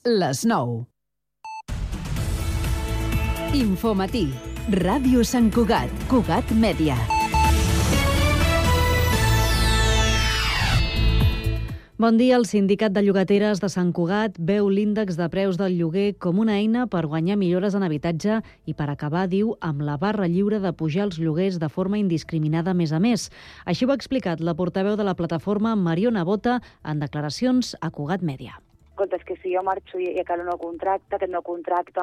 les 9. Infomatí. Ràdio Sant Cugat. Cugat Mèdia. Bon dia. El Sindicat de Llogateres de Sant Cugat veu l'índex de preus del lloguer com una eina per guanyar millores en habitatge i per acabar, diu, amb la barra lliure de pujar els lloguers de forma indiscriminada més a més. Així ho ha explicat la portaveu de la plataforma, Mariona Bota, en declaracions a Cugat Mèdia. Escolta, és que si jo marxo i acabo un nou contracte, aquest nou contracte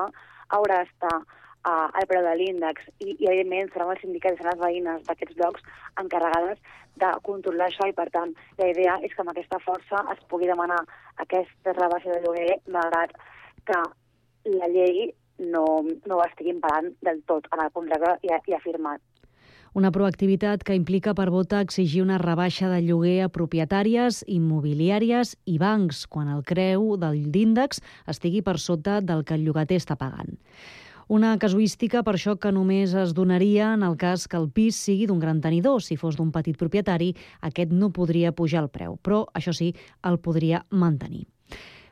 haurà d'estar al preu de l'índex i evidentment seran els sindicats i seran les veïnes d'aquests llocs encarregades de controlar això i, per tant, la idea és que amb aquesta força es pugui demanar aquesta rebaixa de lloguer malgrat que la llei no ho estigui imparant del tot en el contracte ja firmat. Una proactivitat que implica per Bota exigir una rebaixa de lloguer a propietàries, immobiliàries i bancs quan el preu d'índex estigui per sota del que el llogater està pagant. Una casuística, per això, que només es donaria en el cas que el pis sigui d'un gran tenidor. Si fos d'un petit propietari, aquest no podria pujar el preu, però, això sí, el podria mantenir.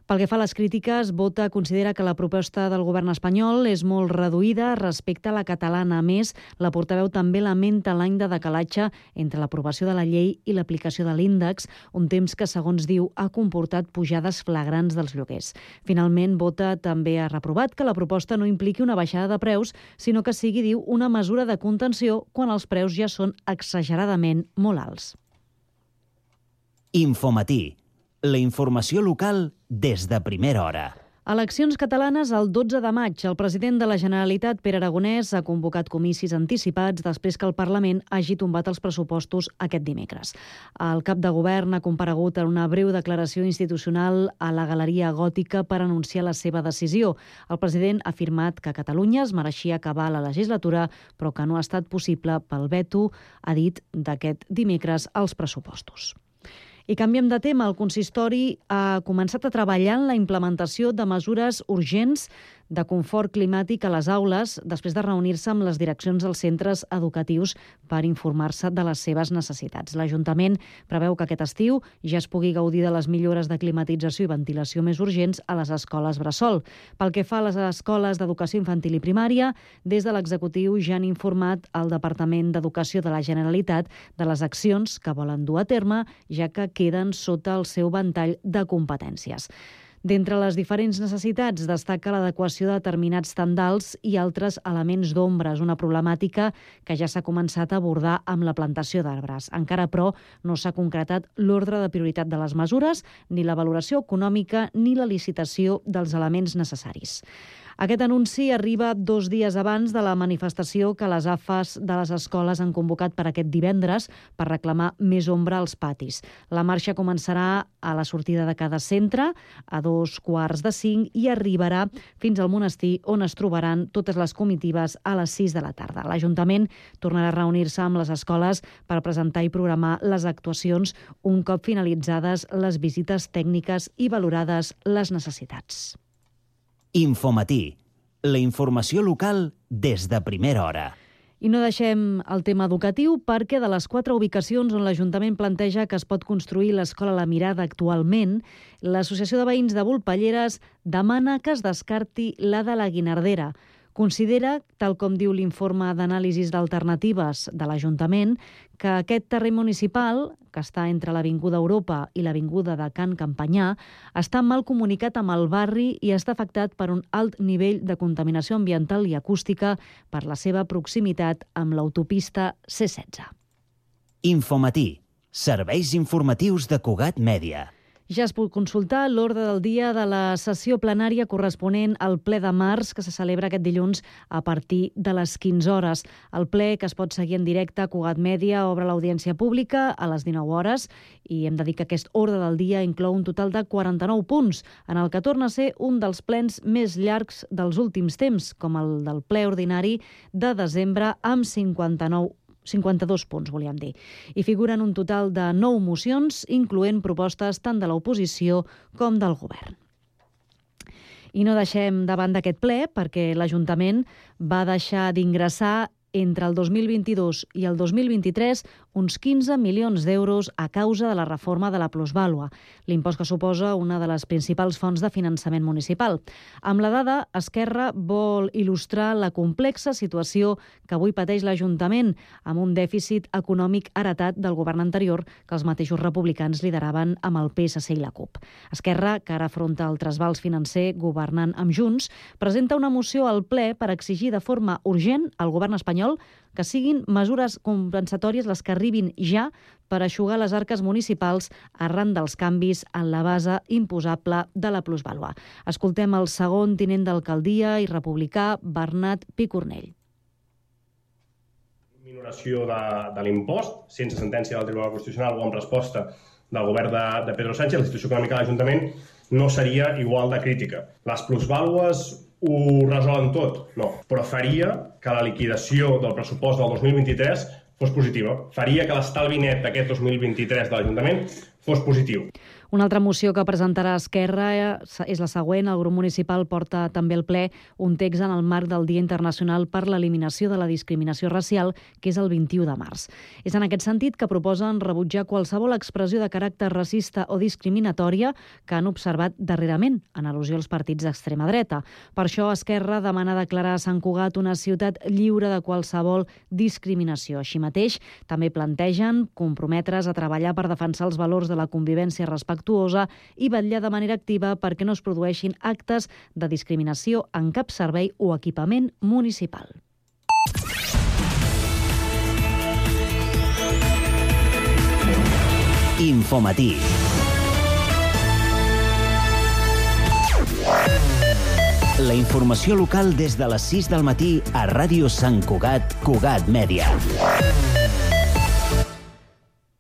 Pel que fa a les crítiques, Bota considera que la proposta del govern espanyol és molt reduïda respecte a la catalana. A més, la portaveu també lamenta l'any de decalatge entre l'aprovació de la llei i l'aplicació de l'índex, un temps que, segons diu, ha comportat pujades flagrants dels lloguers. Finalment, Bota també ha reprovat que la proposta no impliqui una baixada de preus, sinó que sigui, diu, una mesura de contenció quan els preus ja són exageradament molt alts. Infomatí. La informació local des de primera hora. Eleccions catalanes el 12 de maig. El president de la Generalitat, Pere Aragonès, ha convocat comicis anticipats després que el Parlament hagi tombat els pressupostos aquest dimecres. El cap de govern ha comparegut en una breu declaració institucional a la Galeria Gòtica per anunciar la seva decisió. El president ha afirmat que Catalunya es mereixia acabar la legislatura, però que no ha estat possible pel veto, ha dit, d'aquest dimecres als pressupostos. I canviem de tema. El consistori ha començat a treballar en la implementació de mesures urgents de confort climàtic a les aules després de reunir-se amb les direccions dels centres educatius per informar-se de les seves necessitats. L'Ajuntament preveu que aquest estiu ja es pugui gaudir de les millores de climatització i ventilació més urgents a les escoles bressol. Pel que fa a les escoles d'educació infantil i primària, des de l'executiu ja han informat el Departament d'Educació de la Generalitat de les accions que volen dur a terme, ja que queden sota el seu ventall de competències. D'entre les diferents necessitats destaca l'adequació de determinats tendals i altres elements d'ombres, una problemàtica que ja s'ha començat a abordar amb la plantació d'arbres. Encara, però, no s'ha concretat l'ordre de prioritat de les mesures, ni la valoració econòmica ni la licitació dels elements necessaris. Aquest anunci arriba 2 dies abans de la manifestació que les AFAs de les escoles han convocat per aquest divendres per reclamar més ombra als patis. La marxa començarà a la sortida de cada centre a 4:45 i arribarà fins al monestir, on es trobaran totes les comitives a les 6 de la tarda. L'Ajuntament tornarà a reunir-se amb les escoles per presentar i programar les actuacions un cop finalitzades les visites tècniques i valorades les necessitats. Infomatí. La informació local des de primera hora. I no deixem el tema educatiu perquè de les 4 ubicacions on l'Ajuntament planteja que es pot construir l'Escola La Mirada actualment, l'Associació de Veïns de Volpelleres demana que es descarti la de la Guinardera. Considera, tal com diu l'informe d'anàlisis d'alternatives de l'Ajuntament, que aquest terreny municipal, que està entre l'Avinguda Europa i l'Avinguda de Can Campanyà, està mal comunicat amb el barri i està afectat per un alt nivell de contaminació ambiental i acústica per la seva proximitat amb l'autopista C16. Infomatí. Serveis informatius de Cugat Mèdia. Ja es pot consultar l'ordre del dia de la sessió plenària corresponent al ple de març, que se celebra aquest dilluns a partir de les 15 hores. El ple, que es pot seguir en directe a Cugat Mèdia, obre l'audiència pública a les 19 hores i hem de dir que aquest ordre del dia inclou un total de 49 punts, en el que torna a ser un dels plens més llargs dels últims temps, com el del ple ordinari de desembre amb 52 punts, volíem dir. I figuren un total de 9 mocions, incloent propostes tant de l'oposició com del govern. I no deixem de banda aquest ple perquè l'Ajuntament va deixar d'ingressar entre el 2022 i el 2023 uns 15 milions d'euros a causa de la reforma de la plusvàlua, l'impost que suposa una de les principals fonts de finançament municipal. Amb la dada, Esquerra vol il·lustrar la complexa situació que avui pateix l'Ajuntament, amb un dèficit econòmic heretat del govern anterior que els mateixos republicans lideraven amb el PSC i la CUP. Esquerra, que ara afronta el trasbals financer governant amb Junts, presenta una moció al ple per exigir de forma urgent al govern espanyol que siguin mesures compensatòries les que arribin ja per eixugar les arques municipals arran dels canvis en la base imposable de la plusvàlua. Escoltem el segon tinent d'alcaldia i republicà, Bernat Picornell. Minoració de l'impost, sense sentència del Tribunal Constitucional o en resposta del govern de Pedro Sánchez, la situació econòmica de l'Ajuntament no seria igual de crítica. Les plusvàlues ho resolen tot? No, però faria que la liquidació del pressupost del 2023 fos positiva. Faria que l'estalvi net d'aquest 2023 de l'Ajuntament fos positiu. Una altra moció que presentarà Esquerra és la següent. El grup municipal porta també al ple un text en el marc del Dia Internacional per l'Eliminació de la Discriminació Racial, que és el 21 de març. És en aquest sentit que proposen rebutjar qualsevol expressió de caràcter racista o discriminatòria que han observat darrerament, en al·lusió als partits d'extrema dreta. Per això, Esquerra demana declarar Sant Cugat una ciutat lliure de qualsevol discriminació. Així mateix, també plantegen comprometre's a treballar per defensar els valors de la convivència respectuosa i vetllar de manera activa perquè no es produeixin actes de discriminació en cap servei o equipament municipal. Infomatí. La informació local des de les 6 del matí a Ràdio Sant Cugat, Cugat Mèdia.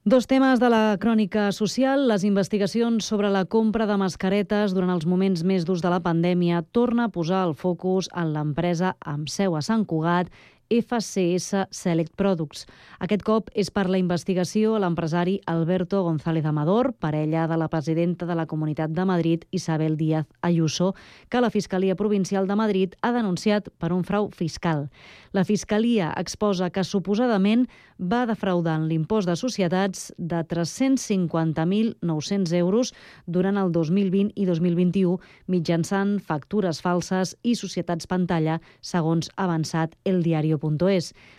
Dos temes de la crònica social. Les investigacions sobre la compra de mascaretes durant els moments més durs de la pandèmia torna a posar el focus en l'empresa amb seu a Sant Cugat, FCS Select Products. Aquest cop és per la investigació a l'empresari Alberto González Amador, parella de la presidenta de la Comunitat de Madrid, Isabel Díaz Ayuso, que la Fiscalia Provincial de Madrid ha denunciat per un frau fiscal. La Fiscalia exposa que suposadament va defraudar en l'impost de societats de 350.900 euros durant el 2020 i 2021 mitjançant factures falses i societats pantalla, segons ha avançat El Diario.es.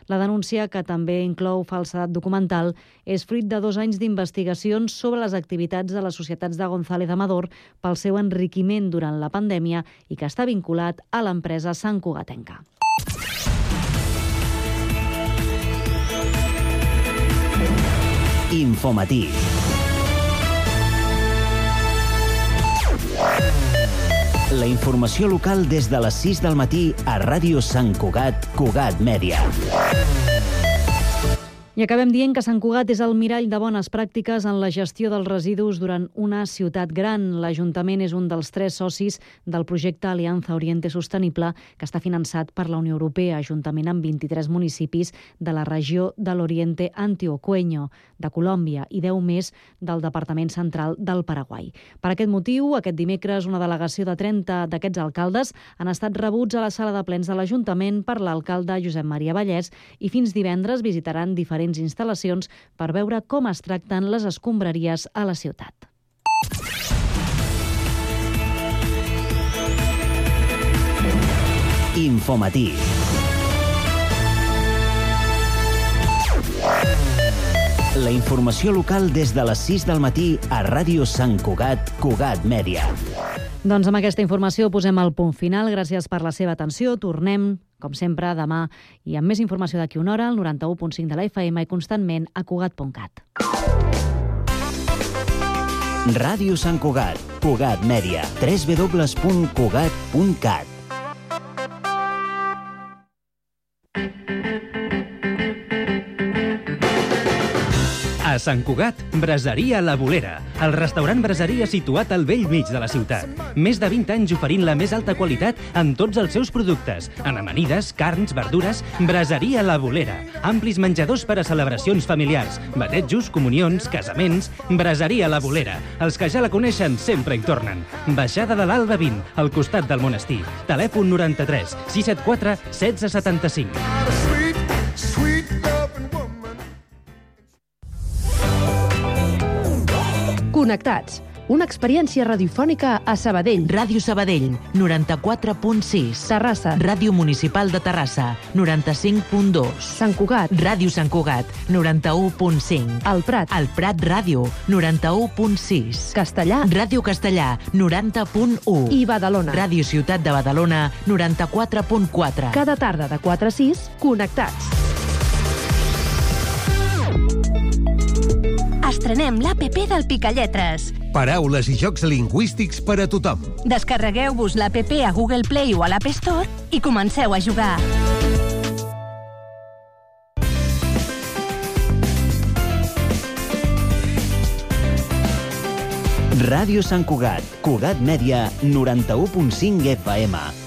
La denúncia, que també inclou falsedat documental, és fruit de 2 anys d'investigacions sobre les activitats de les societats de González Amador pel seu enriquiment durant la pandèmia i que està vinculat a l'empresa santcugatenca. Infomatí. La informació local des de les 6 del matí a Ràdio Sant Cugat, Cugat Mèdia. I acabem dient que Sant Cugat és el mirall de bones pràctiques en la gestió dels residus durant una ciutat gran. L'Ajuntament és un dels 3 socis del projecte Alianza Oriente Sostenible, que està finançat per la Unió Europea, juntament amb 23 municipis de la regió de l'Oriente Antioqueño, de Colòmbia, i 10 més del Departament Central del Paraguai. Per aquest motiu, aquest dimecres, una delegació de 30 d'aquests alcaldes han estat rebuts a la sala de plens de l'Ajuntament per l'alcalde Josep Maria Vallès i fins divendres visitaran diferents instal·lacions per veure com es tracten les escombraries a la ciutat. Infomatí. La informació local des de les 6 del matí a Ràdio Sant Cugat, Cugat Mèdia. Doncs amb aquesta informació posem el punt final. Gràcies per la seva atenció. Tornem, com sempre, demà i amb més informació d'aquí una hora al 91.5 de la FM i constantment a Cugat.cat. Ràdio Sant Cugat, Cugat Mèdia, www.cugat.cat. A Sant Cugat, Braseria La Bolera, el restaurant braseria situat al bell mig de la ciutat. Més de 20 anys oferint la més alta qualitat en tots els seus productes, en amanides, carns, verdures. Braseria La Bolera, amplis menjadors per a celebracions familiars, batejos, comunions, casaments. Braseria La Bolera, els que ja la coneixen sempre hi tornen. Baixada de l'Alba 20, al costat del monestir. Telèfon 93 674 1675. Connectats, una experiència radiofònica a Sabadell. Ràdio Sabadell, 94.6. Terrassa. Ràdio Municipal de Terrassa, 95.2. Sant Cugat. Ràdio Sant Cugat, 91.5. El Prat. El Prat Ràdio, 91.6. Castellà. Ràdio Castellà, 90.1. I Badalona. Ràdio Ciutat de Badalona, 94.4. Cada tarda de 4 a 6, Connectats. Estrenem l'APP del Picalletres. Paraules i jocs lingüístics per a tothom. Descarregueu-vos l'APP a Google Play o a l'App Store i comenceu a jugar. Ràdio Sant Cugat, Cugat Mèdia, 91.5 FM.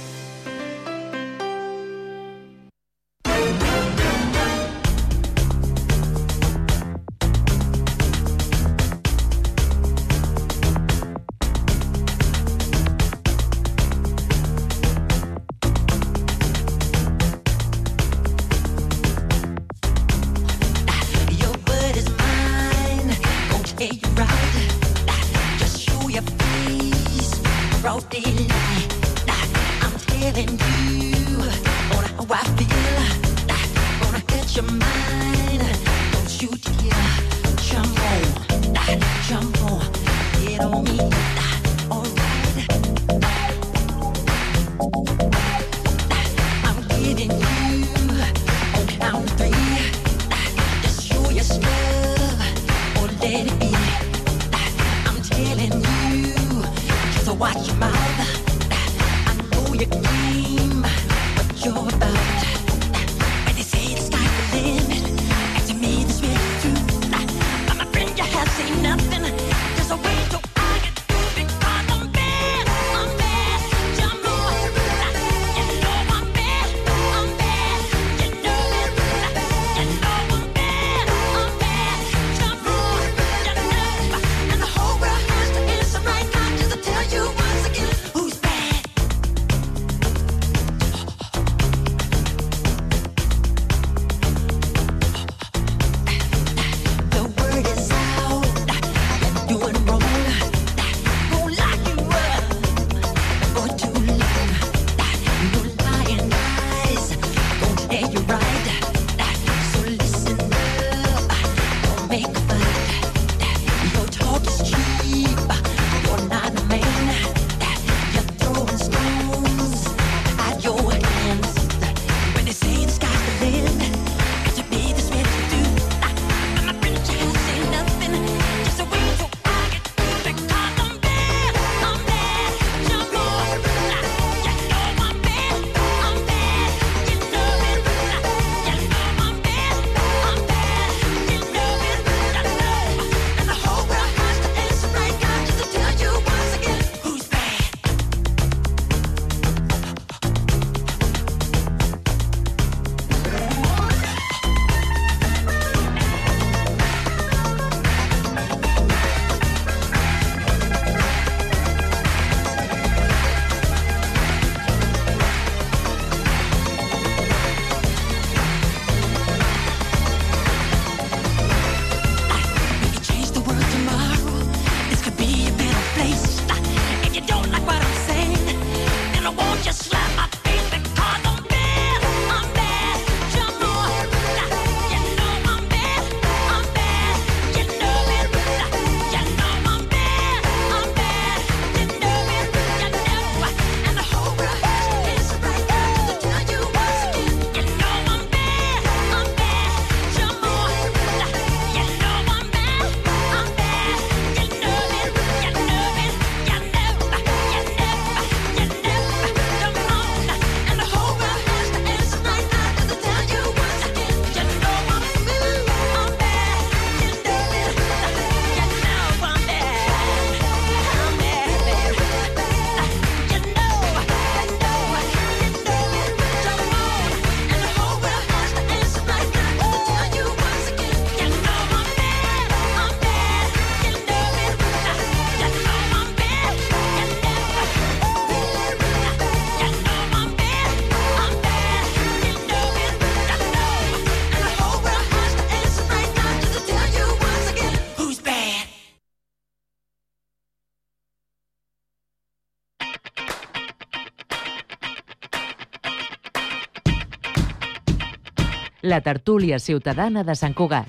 la tertúlia ciutadana de Sant Cugat.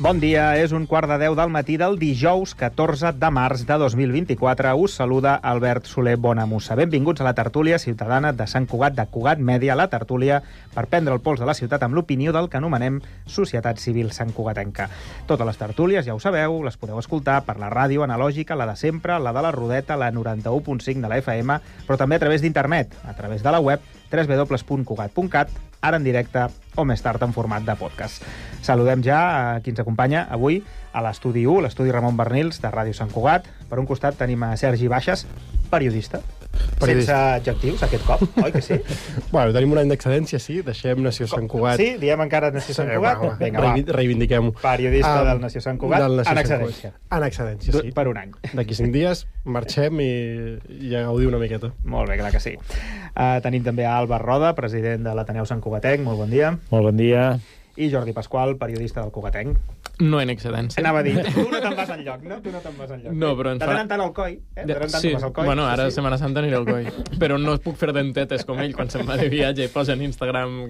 Bon dia, és 1:15 del matí del dijous 14 de març de 2024. Us saluda Albert Soler Bonamussa. Benvinguts a la tertúlia ciutadana de Sant Cugat, de Cugat Mèdia, la tertúlia per prendre el pols de la ciutat amb l'opinió del que anomenem Societat Civil Santcugatenca. Totes les tertúlies, ja ho sabeu, les podeu escoltar per la ràdio analògica, la de sempre, la de la Rodeta, la 91.5 de la FM, però també a través d'internet, a través de la web www.cugat.cat, ara en directe o més tard en format de podcast. Saludem ja a qui ens acompanya avui a l'estudi 1, l'estudi Ramon Bernils, de Ràdio Sant Cugat. Per un costat tenim a Sergi Baixes, periodista. Sense adjectius, aquest cop, oi que sí? Bueno, tenim un any d'excedència, sí. Deixem Nació Sant Cugat. Sí? Diem encara Nació Sant Cugat? Vinga, va. Reivindiquem-ho. Periodista del Nació Sant Cugat, en excedència. En excedència, sí. Per un any. D'aquí 5 dies marxem i ja gaudiu una miqueta. Molt bé, clar que sí. Tenim també a Àlvar Roda, president de l'Ateneu Sant Cugatenc. Molt bon dia. Molt bon dia. I Jordi Pasqual, periodista del Cugatenc. No en excedència. Anava a dir, tu no te'n vas enlloc, no? Tu no te'n vas enlloc. No, però... De tant en tant al coi, eh? De tant en tant vas al coi. Bueno, ara a Setmana Santa aniré al coi. Però no puc fer dentetes com ell quan se'n va de viatge i posa en Instagram...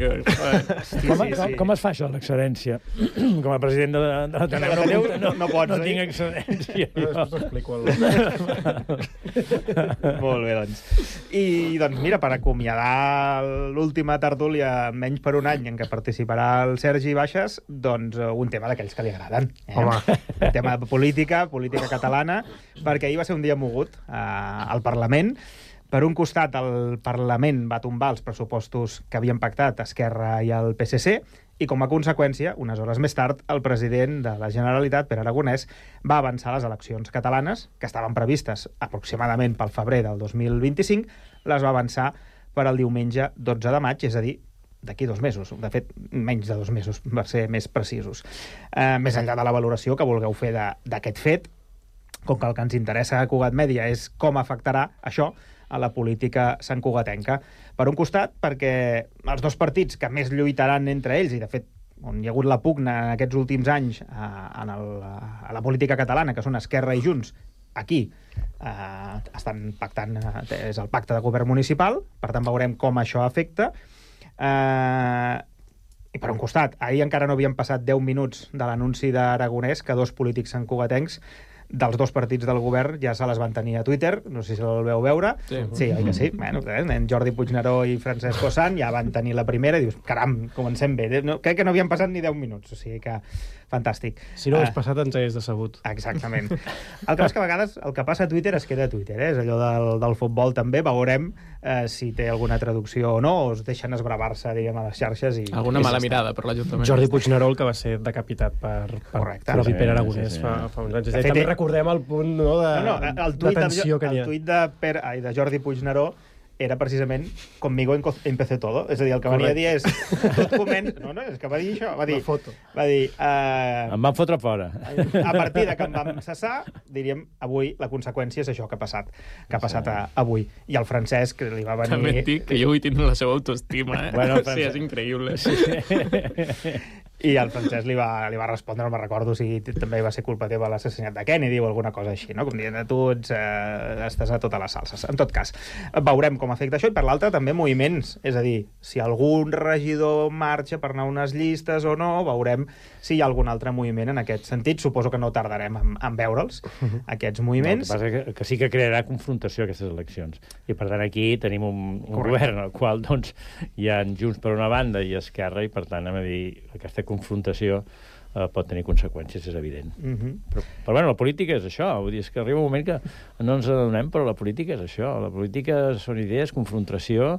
Com es fa això, l'excedència? Com a president de l'Ateneu no pots dir. No tinc excedència. Després t'explico. Molt bé, doncs. I, doncs, mira, per acomiadar l'última tertúlia, menys per un any, en què participarà el Sergi Baixes, doncs un tema d'aquells que li agraden. Home. Un tema de política catalana, perquè ahir va ser un dia mogut al Parlament. Per un costat, el Parlament va tombar els pressupostos que havien pactat Esquerra i el PSC, i com a conseqüència, unes hores més tard, el president de la Generalitat, Pere Aragonès, va avançar les eleccions catalanes, que estaven previstes aproximadament pel febrer del 2025, les va avançar per al diumenge 12 de maig, és a dir, d'aquí 2 mesos. De fet, menys de 2 mesos, per ser més precisos. Més enllà de la valoració que vulgueu fer d'aquest fet, com que el que ens interessa a Cugat Mèdia és com afectarà això a la política santcugatenca. Per un costat, perquè els dos partits que més lluitaran entre ells, i de fet on hi ha hagut la pugna en aquests últims anys a la política catalana, que són Esquerra i Junts, aquí estan pactant, és el pacte de govern municipal, per tant veurem com això afecta. I per un costat, ahir encara no havien passat 10 minuts de l'anunci d'Aragonès que 2 polítics santcugatencs dels 2 partits del govern ja se les van tenir a Twitter, no sé si el veu veure. Sí, oi que sí? Bueno, en Jordi Puigneró i Francesc Ossant ja van tenir la primera i dius, caram, comencem bé. Crec que no havien passat ni 10 minuts, o sigui que fantàstic. Si no ho hagués passat, ens hagués decebut. Exactament. El que és que a vegades el que passa a Twitter es queda a Twitter, és allò del futbol també, veurem si té alguna traducció o no, o es deixen esbravar-se, diguem, a les xarxes. Alguna mala mirada per l'Ajuntament. Jordi Puigneró, el que va ser decapitat per propi Pere Aragonès fa uns anys. També recordem el punt de tensió que hi ha. El tuit de Jordi Puigneró era precisament conmigo empecé todo. És a dir, el que venia a dir és tot comença... No, és que va dir això. Va dir... Em van fotre fora. A partir de que em vam cessar, diríem, avui la conseqüència és això que ha passat avui. I el Francesc li va venir... També et dic que jo avui tinc la seva autoestima, eh? Bueno, sí, és increïble. I el Francesc li va respondre, no me'n recordo si també va ser culpa teva l'assassinat de Kennedy o alguna cosa així, no? Com dient, tu estàs a totes les salses. En tot cas, veurem com afecta això, i per l'altre també moviments, és a dir, si algun regidor marxa per anar a unes llistes o no, veurem si hi ha algun altre moviment en aquest sentit. Suposo que no tardarem en veure'ls, aquests moviments. No, el que passa que sí que crearà confrontació aquestes eleccions, i per tant aquí tenim un govern al qual doncs hi ha Junts per una banda i Esquerra, i per tant hem de dir aquesta confrontació pot tenir conseqüències, és evident. Però bueno, la política és això, vull dir, és que arriba un moment que no ens adonem, però la política és això, la política són idees, confrontació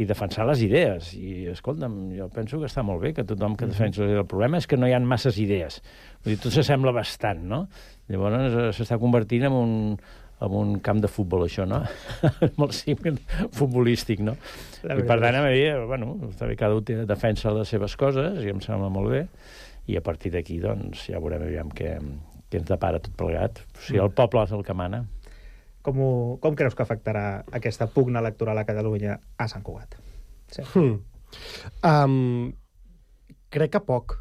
i defensar les idees. I, escolta'm, jo penso que està molt bé que tothom que defensa les idees. El problema és que no hi ha masses idees. Vull dir, tot s'assembla bastant, no? Llavors s'està convertint en un camp de futbol, això, no? Molt simple, futbolístic, no? I per tant, a mi, bueno, també cada un defensa les seves coses, i em sembla molt bé, i a partir d'aquí, doncs, ja veurem aviam què ens depara tot plegat. O sigui, el poble és el que mana. Com creus que afectarà aquesta pugna electoral a Catalunya a Sant Cugat? Sí. Crec que poc.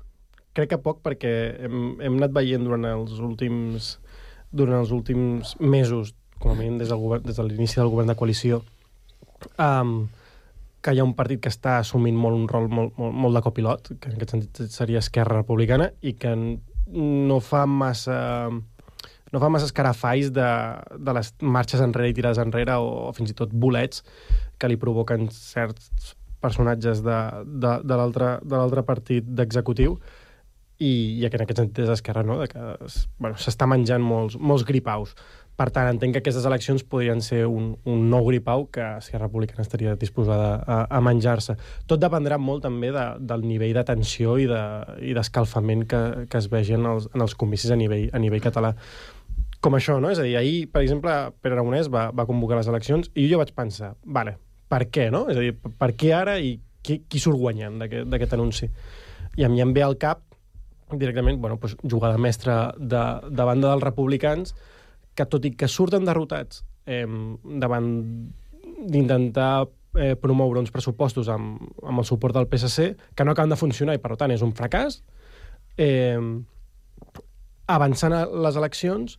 crec que poc, perquè hem anat veient durant els últims mesos, com a mínim des de l'inici del govern de coalició, que hi ha un partit que està assumint un rol molt de copilot, que en aquest sentit seria Esquerra Republicana, i que no fa massa escarafalls de les marxes enrere i tirades enrere, o fins i tot bolets que li provoquen certs personatges de l'altre partit d'executiu, i que en aquest sentit és Esquerra, no? Que s'està menjant molts gripaus. Per tant, entenc que aquestes eleccions podrien ser un nou gripau que Esquerra Republicana estaria disposada a menjar-se. Tot dependrà molt també del nivell de tensió i d'escalfament que es vegi en els comicis a nivell català. Com això, no? És a dir, ahir, per exemple, Pere Aragonès va convocar les eleccions i jo vaig pensar, vale, per què, no? És a dir, per què ara i qui surt guanyant d'aquest anunci? I a mi em ve al cap directament, jugada mestra de banda dels republicans, que tot i que surten derrotats davant d'intentar promoure uns pressupostos amb el suport del PSC, que no acaben de funcionar i per tant és un fracàs, avançant a les eleccions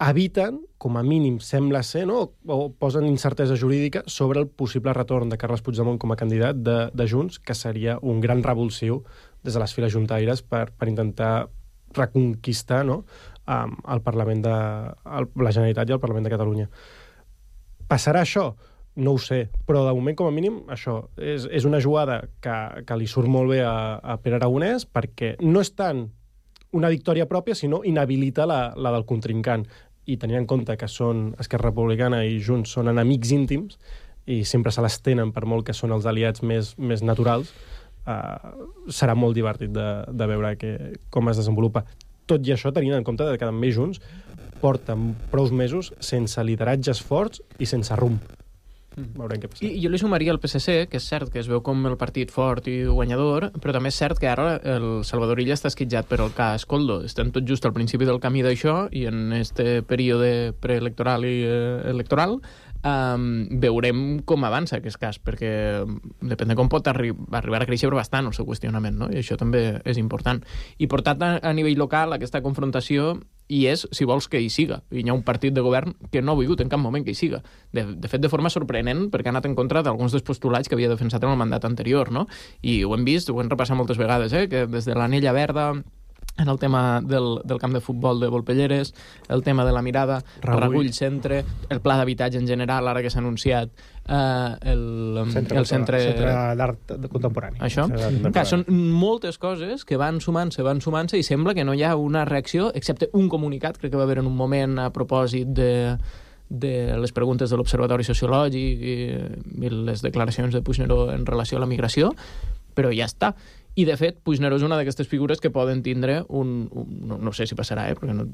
eviten, com a mínim sembla ser, no? O posen incertesa jurídica sobre el possible retorn de Carles Puigdemont com a candidat de Junts, que seria un gran revulsiu des de les files juntaires per intentar reconquistar, no? El Parlament la Generalitat i el Parlament de Catalunya. Passarà això? No ho sé, però de moment, com a mínim, això és una jugada que li surt molt bé a Pere Aragonès, perquè no és tant una victòria pròpia, sinó inhabilita la del contrincant. I tenint en compte que Esquerra Republicana i Junts són enemics íntims i sempre se les tenen per molt que són els aliats més naturals, serà molt divertit de veure com es desenvolupa. Tot i això, tenint en compte que també Junts porten prou mesos sense lideratges forts i sense rumb. Veurem què passa. I jo li sumaria el PSC, que és cert que es veu com el partit fort i guanyador, però també és cert que ara el Salvador Illa està esquitjat per el cas Koldo. Estem tot just al principi del camí d'això i en este període preelectoral i electoral veurem com avança aquest cas, perquè depèn de com pot arribar a créixer bastant el seu qüestionament, no? I això també és important. I portat a nivell local, aquesta confrontació hi és, si vols, que hi siga. I hi ha un partit de govern que no ha volgut en cap moment que hi siga. De fet, de forma sorprenent, perquè ha anat en contra d'alguns dels postulats que havia defensat en el mandat anterior, no? I ho hem vist, ho hem repassat moltes vegades, que des de l'Anella Verda, en el tema del camp de futbol de Volpelleres, el tema de la mirada, Regull Centre, el pla d'habitatge en general, ara que s'ha anunciat el centre d'art contemporani. Això? Clar, són moltes coses que van sumant-se i sembla que no hi ha una reacció, excepte un comunicat, crec que va haver en un moment a propòsit de les preguntes de l'Observatori Sociològic i les declaracions de Puigneró en relació a la migració, però ja està. I, de fet, Puigneró és una d'aquestes figures que poden tindre no sé si passarà, perquè no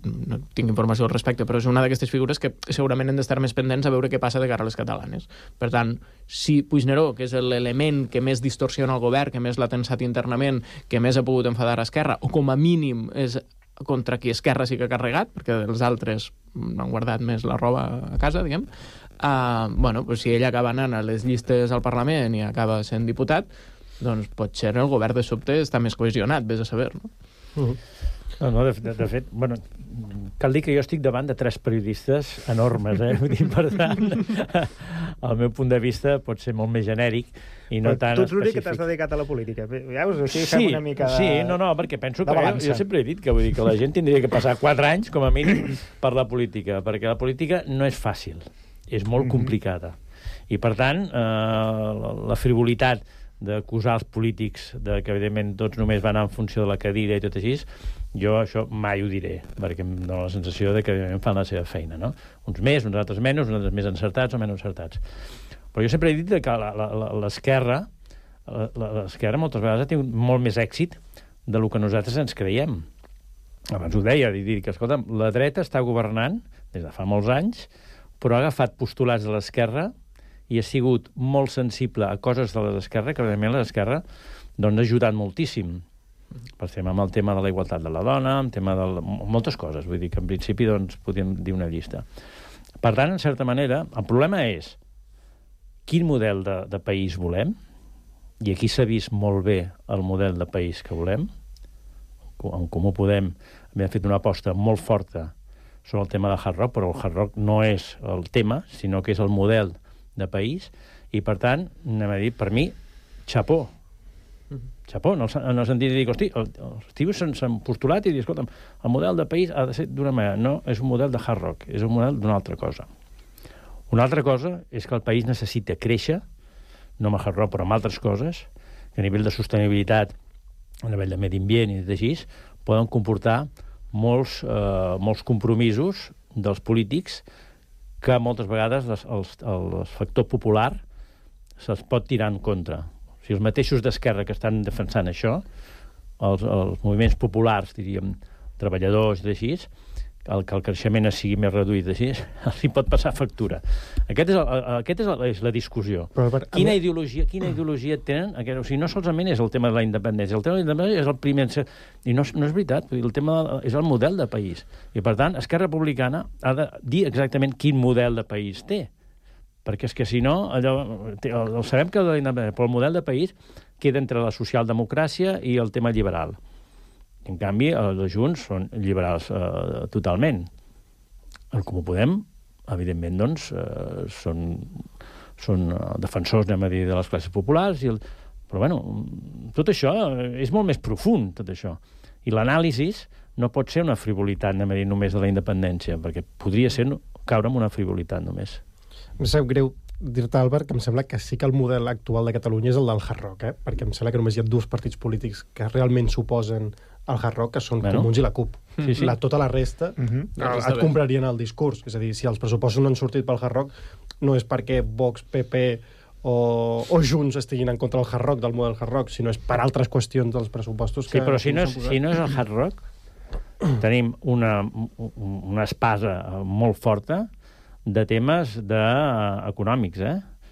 tinc informació al respecte, però és una d'aquestes figures que segurament hem d'estar més pendents a veure què passa de cara a les catalanes. Per tant, si Puigneró, que és l'element que més distorsiona el govern, que més l'ha tensat internament, que més ha pogut enfadar a Esquerra, o com a mínim és contra qui Esquerra sí que ha carregat, perquè els altres han guardat més la roba a casa, diguem, si ell acaba anant a les llistes al Parlament i acaba sent diputat, doncs potser el govern de sobte està més cohesionat, vés a saber, no? No, de fet, cal dir que jo estic davant de 3 periodistes enormes, Vull dir, per tant, el meu punt de vista pot ser molt més genèric i no tan específic. Tu ets l'únic que t'has dedicat a la política. Veus? Així fem una mica de... Sí, perquè penso que jo sempre he dit que la gent tindria que passar 4 anys, com a mínim, per la política, perquè la política no és fàcil, és molt complicada. I, per tant, la frivolitat d'acusar els polítics que, evidentment, tots només van en funció de la cadira i tot així, jo això mai ho diré, perquè em dóna la sensació que, evidentment, fan la seva feina, no? Uns més, uns altres menys, uns altres més encertats o menys encertats. Però jo sempre he dit que l'esquerra moltes vegades ha tingut molt més èxit del que nosaltres ens creiem. Abans ho deia, dir que, escolta, la dreta està governant des de fa molts anys, però ha agafat postulats de l'esquerra i ha sigut molt sensible a coses de l'esquerra, que evidentment l'esquerra ha ajudat moltíssim. Per exemple, amb el tema de la igualtat de la dona, amb tema de moltes coses. Vull dir que en principi podríem dir una llista. Per tant, en certa manera, el problema és quin model de país volem, i aquí s'ha vist molt bé el model de país que volem, en Comú Podem havien fet una aposta molt forta sobre el tema del Hard Rock, però el Hard Rock no és el tema, sinó que és el model de país, i per tant, anem a dir, per mi, xapó, en el sentit de dir, hosti, els tios s'han postulat i dir, escolta, el model de país ha de ser d'una manera, no és un model de Hard Rock, és un model d'una altra cosa. Una altra cosa és que el país necessita créixer, no amb el Hard Rock, però amb altres coses, que a nivell de sostenibilitat, a nivell de medi ambient i d'així, poden comportar molts compromisos dels polítics que moltes vegades el factor popular se'ls pot tirar en contra. O sigui, els mateixos d'esquerra que estan defensant això, els moviments populars, diríem, treballadors i d'així, que el creixement sigui més reduït d'així, els hi pot passar factura. Aquesta és la discussió. Quina ideologia tenen? O sigui, no solament és el tema de la independència, el tema de la independència és el primer... I no és veritat, el tema és el model de país. I, per tant, Esquerra Republicana ha de dir exactament quin model de país té. Perquè és que, si no, sabem que però el model de país queda entre la socialdemocràcia i el tema liberal. En canvi, els Junts són liberals totalment. En Comú Podem, evidentment, doncs, són defensors, anem a dir, de les classes populars, però, bueno, tot això és molt més profund, tot això. I l'anàlisi no pot ser una frivolitat, anem a dir, només de la independència, perquè podria ser caure en una frivolitat només. Em sap greu dir-te, Albert, que em sembla que sí que el model actual de Catalunya és el del Hard Rock, perquè em sembla que només hi ha dos partits polítics que realment s'oposen al Hard Rock, que són Comuns i la CUP. Tota la resta et comprarien el discurs. És a dir, si els pressupostos no han sortit pel Hard Rock, no és perquè Vox, PP o Junts estiguin en contra del Hard Rock, del model Hard Rock, sinó és per altres qüestions dels pressupostos que... Sí, però si no és el Hard Rock, tenim una espasa molt forta de temes econòmics,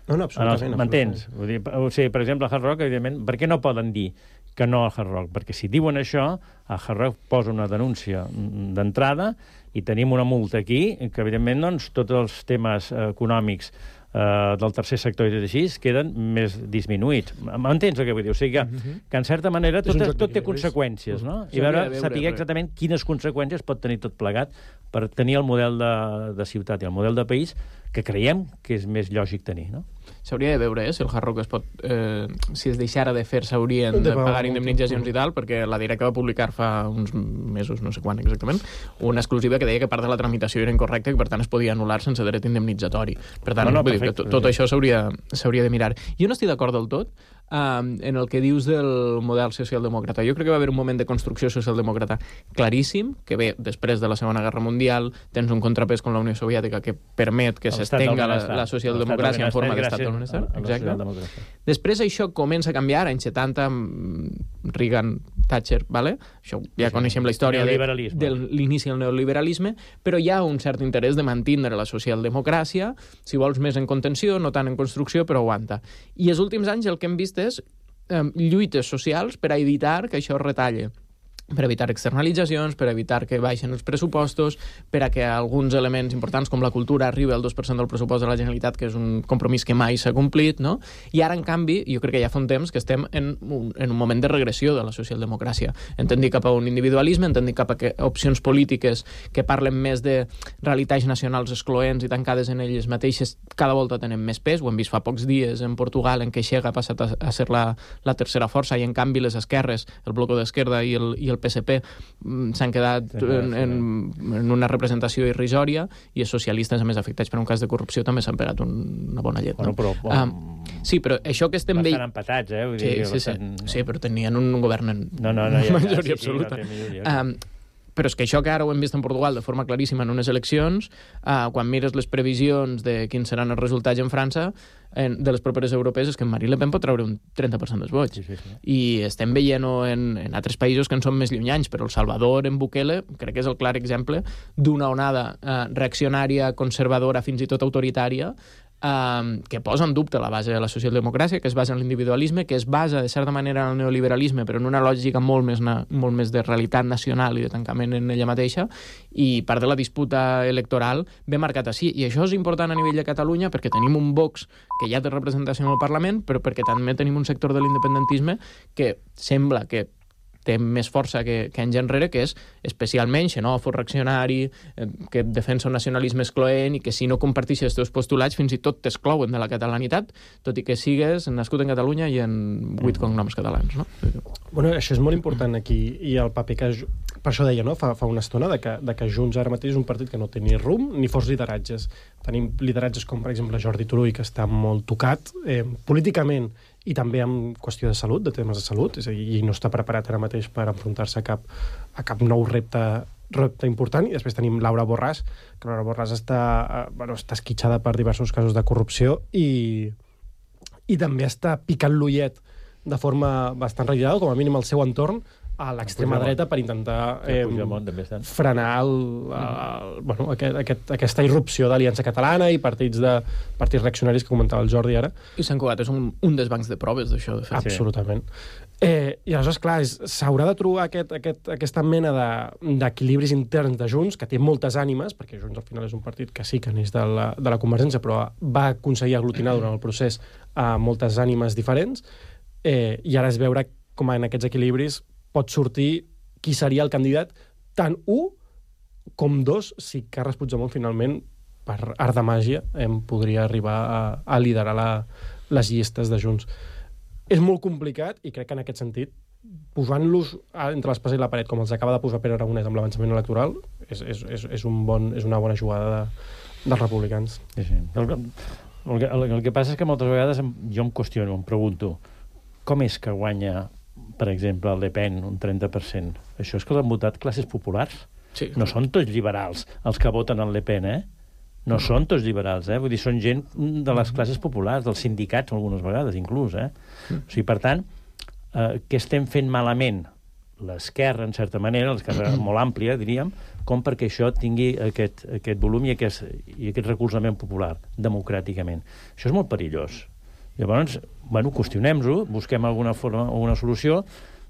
No, absolutament. M'entens? O sigui, per exemple, el Hard Rock, evidentment, per què no poden dir que no al Hard Rock? Perquè si diuen això, el Hard Rock posa una denúncia d'entrada i tenim una multa aquí, que evidentment, doncs, tots els temes econòmics del tercer sector i així queden més disminuïts. M'entens el que vull dir? O sigui que en certa manera tot té conseqüències, no? I saber exactament quines conseqüències pot tenir tot plegat per tenir el model de ciutat i el model de país que creiem que és més lògic tenir, no? S'hauria de veure, si el Hard Rock es pot... si es deixara de fer, s'haurien de pagar indemnitzacions i tal, perquè la Directa va publicar fa uns mesos, no sé quan exactament, una exclusiva que deia que part de la tramitació era incorrecta i per tant es podia anul·lar sense dret indemnitzatori. Per tant, vull dir que tot això s'hauria de mirar. Jo no estic d'acord del tot en el que dius del model socialdemòcrata. Jo crec que va haver un moment de construcció socialdemòcrata claríssim, que ve després de la Segona Guerra Mundial, tens un contrapès amb la Unió Soviètica que permet que s'estenga la socialdemocràcia en forma d'estat del benestar. Exacte. Després això comença a canviar, anys 70, Reagan, Thatcher, vale? Això ja coneixem la història de l'inici del neoliberalisme, però hi ha un cert interès de mantindre la socialdemocràcia, si vols més en contenció, no tant en construcció, però aguanta. I els últims anys el que hem vist és lluites socials per a evitar que això es retalle, per evitar externalitzacions, per evitar que baixen els pressupostos, per a que alguns elements importants com la cultura arribi al 2% del pressupost de la Generalitat, que és un compromís que mai s'ha complit, no? I ara, en canvi, jo crec que ja fa un temps que estem en un moment de regressió de la socialdemocràcia. En tendir cap a un individualisme, en tendir cap a opcions polítiques que parlen més de realitats nacionals excloents i tancades en elles mateixes, cada volta tenen més pes. Ho hem vist fa pocs dies en Portugal, en què Chega ha passat a ser la tercera força, i en canvi les esquerres, el Bloc d'Esquerda i el PSP s'han quedat en una representació irrisòria, i els socialistes, a més afectats per un cas de corrupció, també s'han pegat una bona llet. Sí, però això que estem... Bastant empatats, Vull dir, sí, però tenien un govern en majoria absoluta. Però és que això que ara ho hem vist en Portugal de forma claríssima en unes eleccions, quan mires les previsions de quins seran els resultats en França, de les properes europees, és que Marine Le Pen pot treure un 30% dels vots. I estem veient-ho en altres països que en són més llunyanys, però El Salvador, en Bukele, crec que és el clar exemple d'una onada reaccionària, conservadora, fins i tot autoritària, que posa en dubte la base de la socialdemocràcia, que es basa en l'individualisme, que es basa, de certa manera, en el neoliberalisme, però en una lògica molt més de realitat nacional i de tancament en ella mateixa, i part de la disputa electoral ve marcat així. I això és important a nivell de Catalunya perquè tenim un Vox que ja té representació en el Parlament, però perquè també tenim un sector de l'independentisme que sembla que té més força que anys enrere, que és especialment xenòfob, reaccionari, que defensa un nacionalisme excloent i que si no comparteixes els teus postulats fins i tot t'exclouen de la catalanitat, tot i que sigues nascut en Catalunya i en 8 cognoms catalans, no? Bueno, això és molt important aquí, i el paper que... Per això deia, no?, fa una estona, de que Junts ara mateix és un partit que no té ni rumb ni forts lideratges. Tenim lideratges com, per exemple, Jordi Turull, que està molt tocat políticament i també en qüestió de salut, de temes de salut, és a dir, i no està preparat ara mateix per enfrontar-se a cap nou repte important. I després tenim Laura Borràs, que Laura Borràs està esquitxada per diversos casos de corrupció i també està picant l'ullet de forma bastant reiterada, com a mínim al seu entorn, a l'extrema dreta per intentar frenar aquesta irrupció d'Aliança Catalana i partits reaccionaris que comentava el Jordi ara. I Sant Cugat és un dels bancs de proves d'això, de fet. Absolutament. I aleshores, clar, s'haurà de trobar aquesta mena d'equilibris interns de Junts, que té moltes ànimes, perquè Junts al final és un partit que sí que neix de la Convergència, però va aconseguir aglutinar durant el procés moltes ànimes diferents, i ara és veure com en aquests equilibris pot sortir qui seria el candidat, tant 1 com 2, si Carles Puigdemont finalment, per art de màgia, podria arribar a liderar les llistes de Junts. És molt complicat, i crec que en aquest sentit, posant-los entre l'espasa i la paret, com els acaba de posar Pere Aragonès amb l'avançament electoral, és una bona jugada dels republicans. Sí. El que passa és que moltes vegades jo em qüestiono, em pregunto, com és que guanya, per exemple, el Le Pen un 30%? Això és que l'han votat classes populars? Sí. No són tots liberals els que voten el Le Pen, No són tots liberals, Vull dir, són gent de les classes populars, dels sindicats algunes vegades, inclús, O sigui, per tant, què estem fent malament? L'esquerra, en certa manera, l'esquerra molt àmplia, diríem, com perquè això tingui aquest volum i aquest recolzament popular, democràticament. Això és molt perillós. Llavors, qüestionem-ho, busquem alguna forma, alguna solució.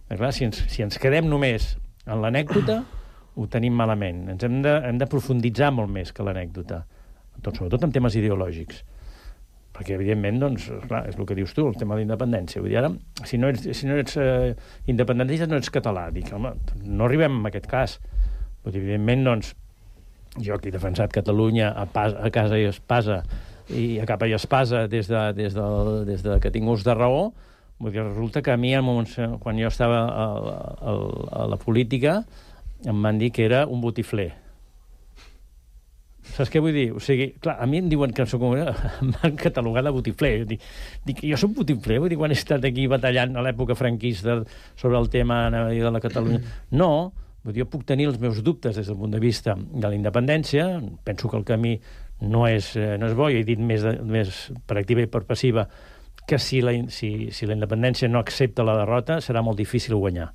Clar, si ens quedem només en l'anècdota, ho tenim malament. Hem de profunditzar molt més que l'anècdota, sobretot en temes ideològics. Perquè, evidentment, doncs, clar, és el que dius tu, el tema de la independència. Vull dir, ara, si no ets independentista, no ets català. Dic, home, no arribem a aquest cas. Vull dir, evidentment, doncs, jo que he defensat Catalunya a casa i espasa, i a capa i espasa des de que tinc ús de raó, vull dir, resulta que a mi, quan jo estava a la política, em van dir que era un botifler. Saps què vull dir? O sigui, clar, a mi em diuen que em van catalogar de botifler. Dic, jo soc botifler? Vull dir, quan he estat aquí batallant a l'època franquista sobre el tema de la Catalunya. No, vull dir, jo puc tenir els meus dubtes des del punt de vista de la independència. Penso que el camí no és bo, i he dit més per activa i per passiva, que si la independència no accepta la derrota, serà molt difícil guanyar.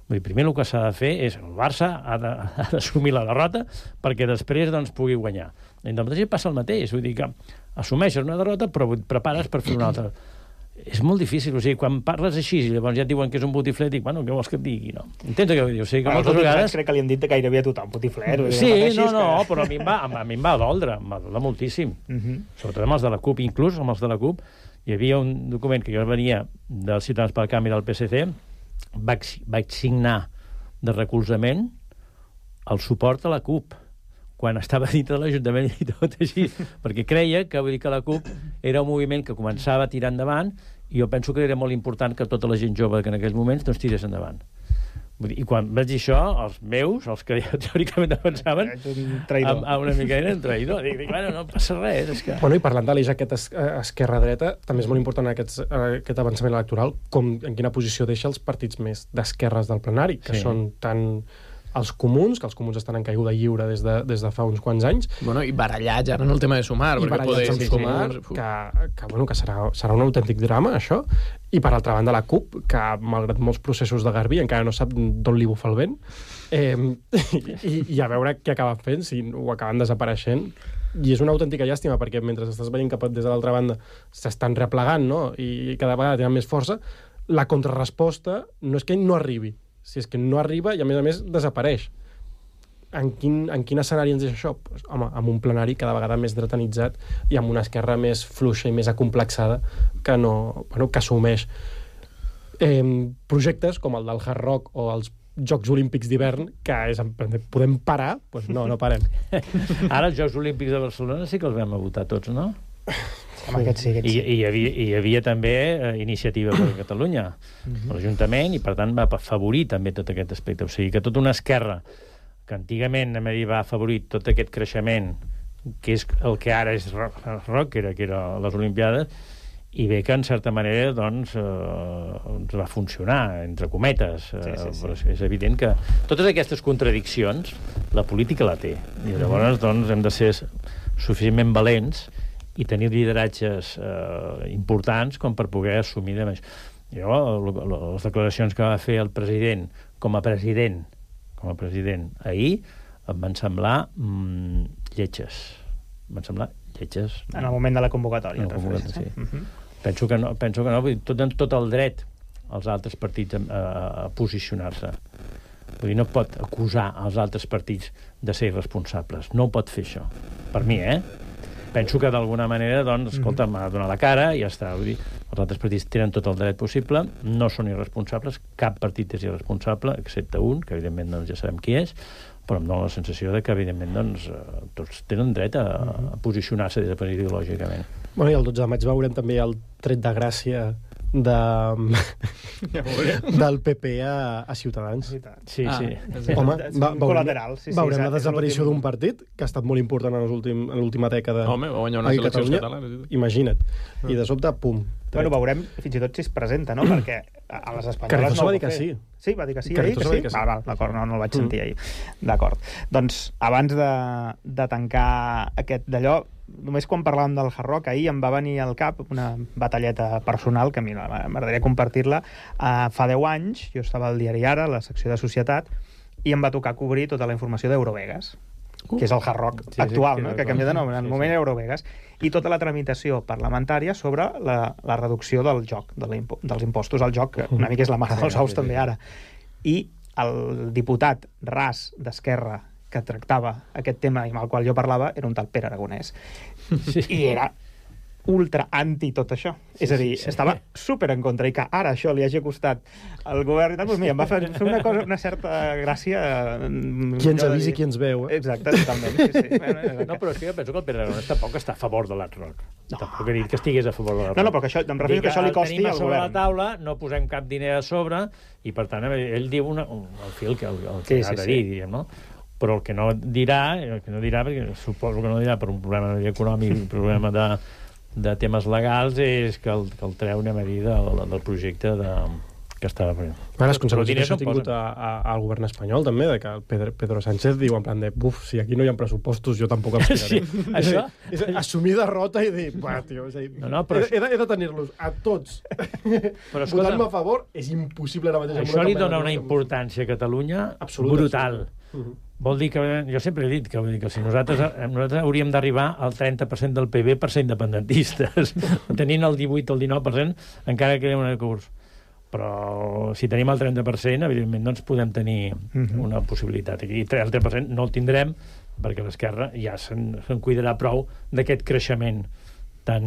Vull dir, primer el que s'ha de fer és el Barça ha d'assumir la derrota perquè després pugui guanyar. La independència passa el mateix, vull dir que assumeixes una derrota però et prepares per fer una altra. És molt difícil, o sigui, quan parles així i llavors ja et diuen que és un botifler, dic, què vols que et digui, no? Entens què vull dir? O sigui, que moltes vegades... Crec que li han dit gairebé a tothom botifler. Sí, però a mi em va doldre moltíssim. Sobretot amb els de la CUP, inclús amb els de la CUP. Hi havia un document que jo venia dels Ciutadans pel Canvi del PSC, vaig signar de recolzament el suport a la CUP quan estava dintre de l'Ajuntament i tot així, perquè creia que la CUP era un moviment que començava a tirar endavant, i jo penso que era molt important que tota la gent jove que en aquells moments tirés endavant. I quan vaig dir això, els meus, els que teòricament defensaven, una mica eren traïdor. Dic, no passa res. És que... I parlant de l'eix aquest esquerra-dreta, també és molt important aquest avançament electoral, en quina posició deixa els partits més d'esquerres del plenari, que són tant els comuns, que els comuns estan en caiguda lliure des de fa uns quants anys. I barallats ara en el tema de Sumar. I barallats amb Sumar, que serà un autèntic drama, això. I per altra banda la CUP, que malgrat molts processos de Garbí encara no sap d'on li bufa el vent, i a veure què acaben fent, si ho acaben desapareixent. I és una autèntica llàstima, perquè mentre estàs veient que des de l'altra banda s'estan replegant, no?, i cada vegada tenen més força, la contrarresposta no és que no arribi, si és que no arriba i, a més, desapareix. En quin escenari ens deixa això? Pues, home, amb un plenari cada vegada més dretanitzat i amb una esquerra més fluixa i més acomplexada que assumeix. projectes com el del Hard Rock o els Jocs Olímpics d'hivern, que és, podem parar? Doncs no parem. Ara els Jocs Olímpics de Barcelona sí que els vam a votar tots, no? Sí. I hi havia també Iniciativa per Catalunya, l'Ajuntament, i per tant va afavorir també tot aquest aspecte. O sigui que tota una esquerra que antigament va afavorir tot aquest creixement, que és el que ara és rock, que era les Olimpiades, i bé que en certa manera doncs va funcionar, entre cometes. Però és evident que totes aquestes contradiccions la política la té, i llavors doncs hem de ser suficientment valents i tenir lideratges importants com per poder assumir de més. Jo, les declaracions que va fer el president com a president ahir em van semblar lletges. Em van semblar lletges. En el moment de la convocatòria. Sí. Penso que no, tot el dret als altres partits a posicionar-se. Vull dir, no pot acusar els altres partits de ser irresponsables. No ho pot fer això. Per mi, Penso que d'alguna manera, doncs, escolta, m'ha de donar la cara i ja està. Vull dir, els altres partits tenen tot el dret possible, no són irresponsables, cap partit és irresponsable, excepte un, que evidentment doncs, ja sabem qui és, però em dóna la sensació de que, evidentment, doncs, tots tenen dret a posicionar-se des de ideològicament. Bueno, i el 12 de maig veurem també el tret de gràcia del PP a Ciutadans. Sí. Home, veurem la desaparició d'un partit que ha estat molt important en l'última dècada. Home, va guanyar unes eleccions catalanes. Imagina't. I de sobte, pum. Bueno, veurem fins i tot si es presenta, no? Perquè a les espanyoles no ho va dir que sí. Sí, va dir que sí. D'acord, no el vaig sentir ahir. D'acord. Doncs, abans de tancar aquest d'allò, només quan parlàvem del Hard Rock, ahir em va venir al cap una batalleta personal, que a mi m'agradaria compartir-la. Fa 10 anys, jo estava al diari Ara, a la secció de Societat, i em va tocar cobrir tota la informació d'Eurovegas, que és el Hard Rock actual, no? Que ha canviat de nom, en el moment era Eurovegas, i tota la tramitació parlamentària sobre la reducció del joc, dels impostos al joc, que una mica és la mare dels ous també ara. I el diputat ras d'Esquerra que tractava aquest tema i amb el qual jo parlava era un tal Pere Aragonès. I era ultra anti tot això. És a dir, estava super en contra, i que ara això li hagi costat al govern i tal, doncs mira, em va fer una certa gràcia. Qui ens avisi, qui ens veu. Exacte, totalment. No, però és que jo penso que el Pere Aragonès tampoc està a favor de l'Hard Rock. Tampoc he dit que estigués a favor de l'Hard Rock. No, però que això, em refereixo que això li costi al govern. Tenim a sobre la taula, no posem cap diner a sobre, i per tant ell diu el fil que ha de dir, diríem, no? Però el que no dirà, perquè suposo que no dirà per un problema econòmic, un problema de temes legals, és que el treu, anem a dir, del projecte que estava fent. Les conseqüències que això ha tingut al govern espanyol, també, de que el Pedro Sánchez diu en plan de, si aquí no hi ha pressupostos, jo tampoc els tiraré. És assumir derrota i dir, tio, he de tenir-los a tots votant-me a favor, és impossible ara mateix. Això li dona una importància a Catalunya brutal. Vol dir que, jo sempre he dit que si nosaltres hauríem d'arribar al 30% del PIB per ser independentistes. Tenint el 18 o el 19% encara queda un curs. Però si tenim el 30%, evidentment doncs podem tenir una possibilitat. I el 30% no el tindrem perquè l'esquerra ja se'n cuidarà prou d'aquest creixement tan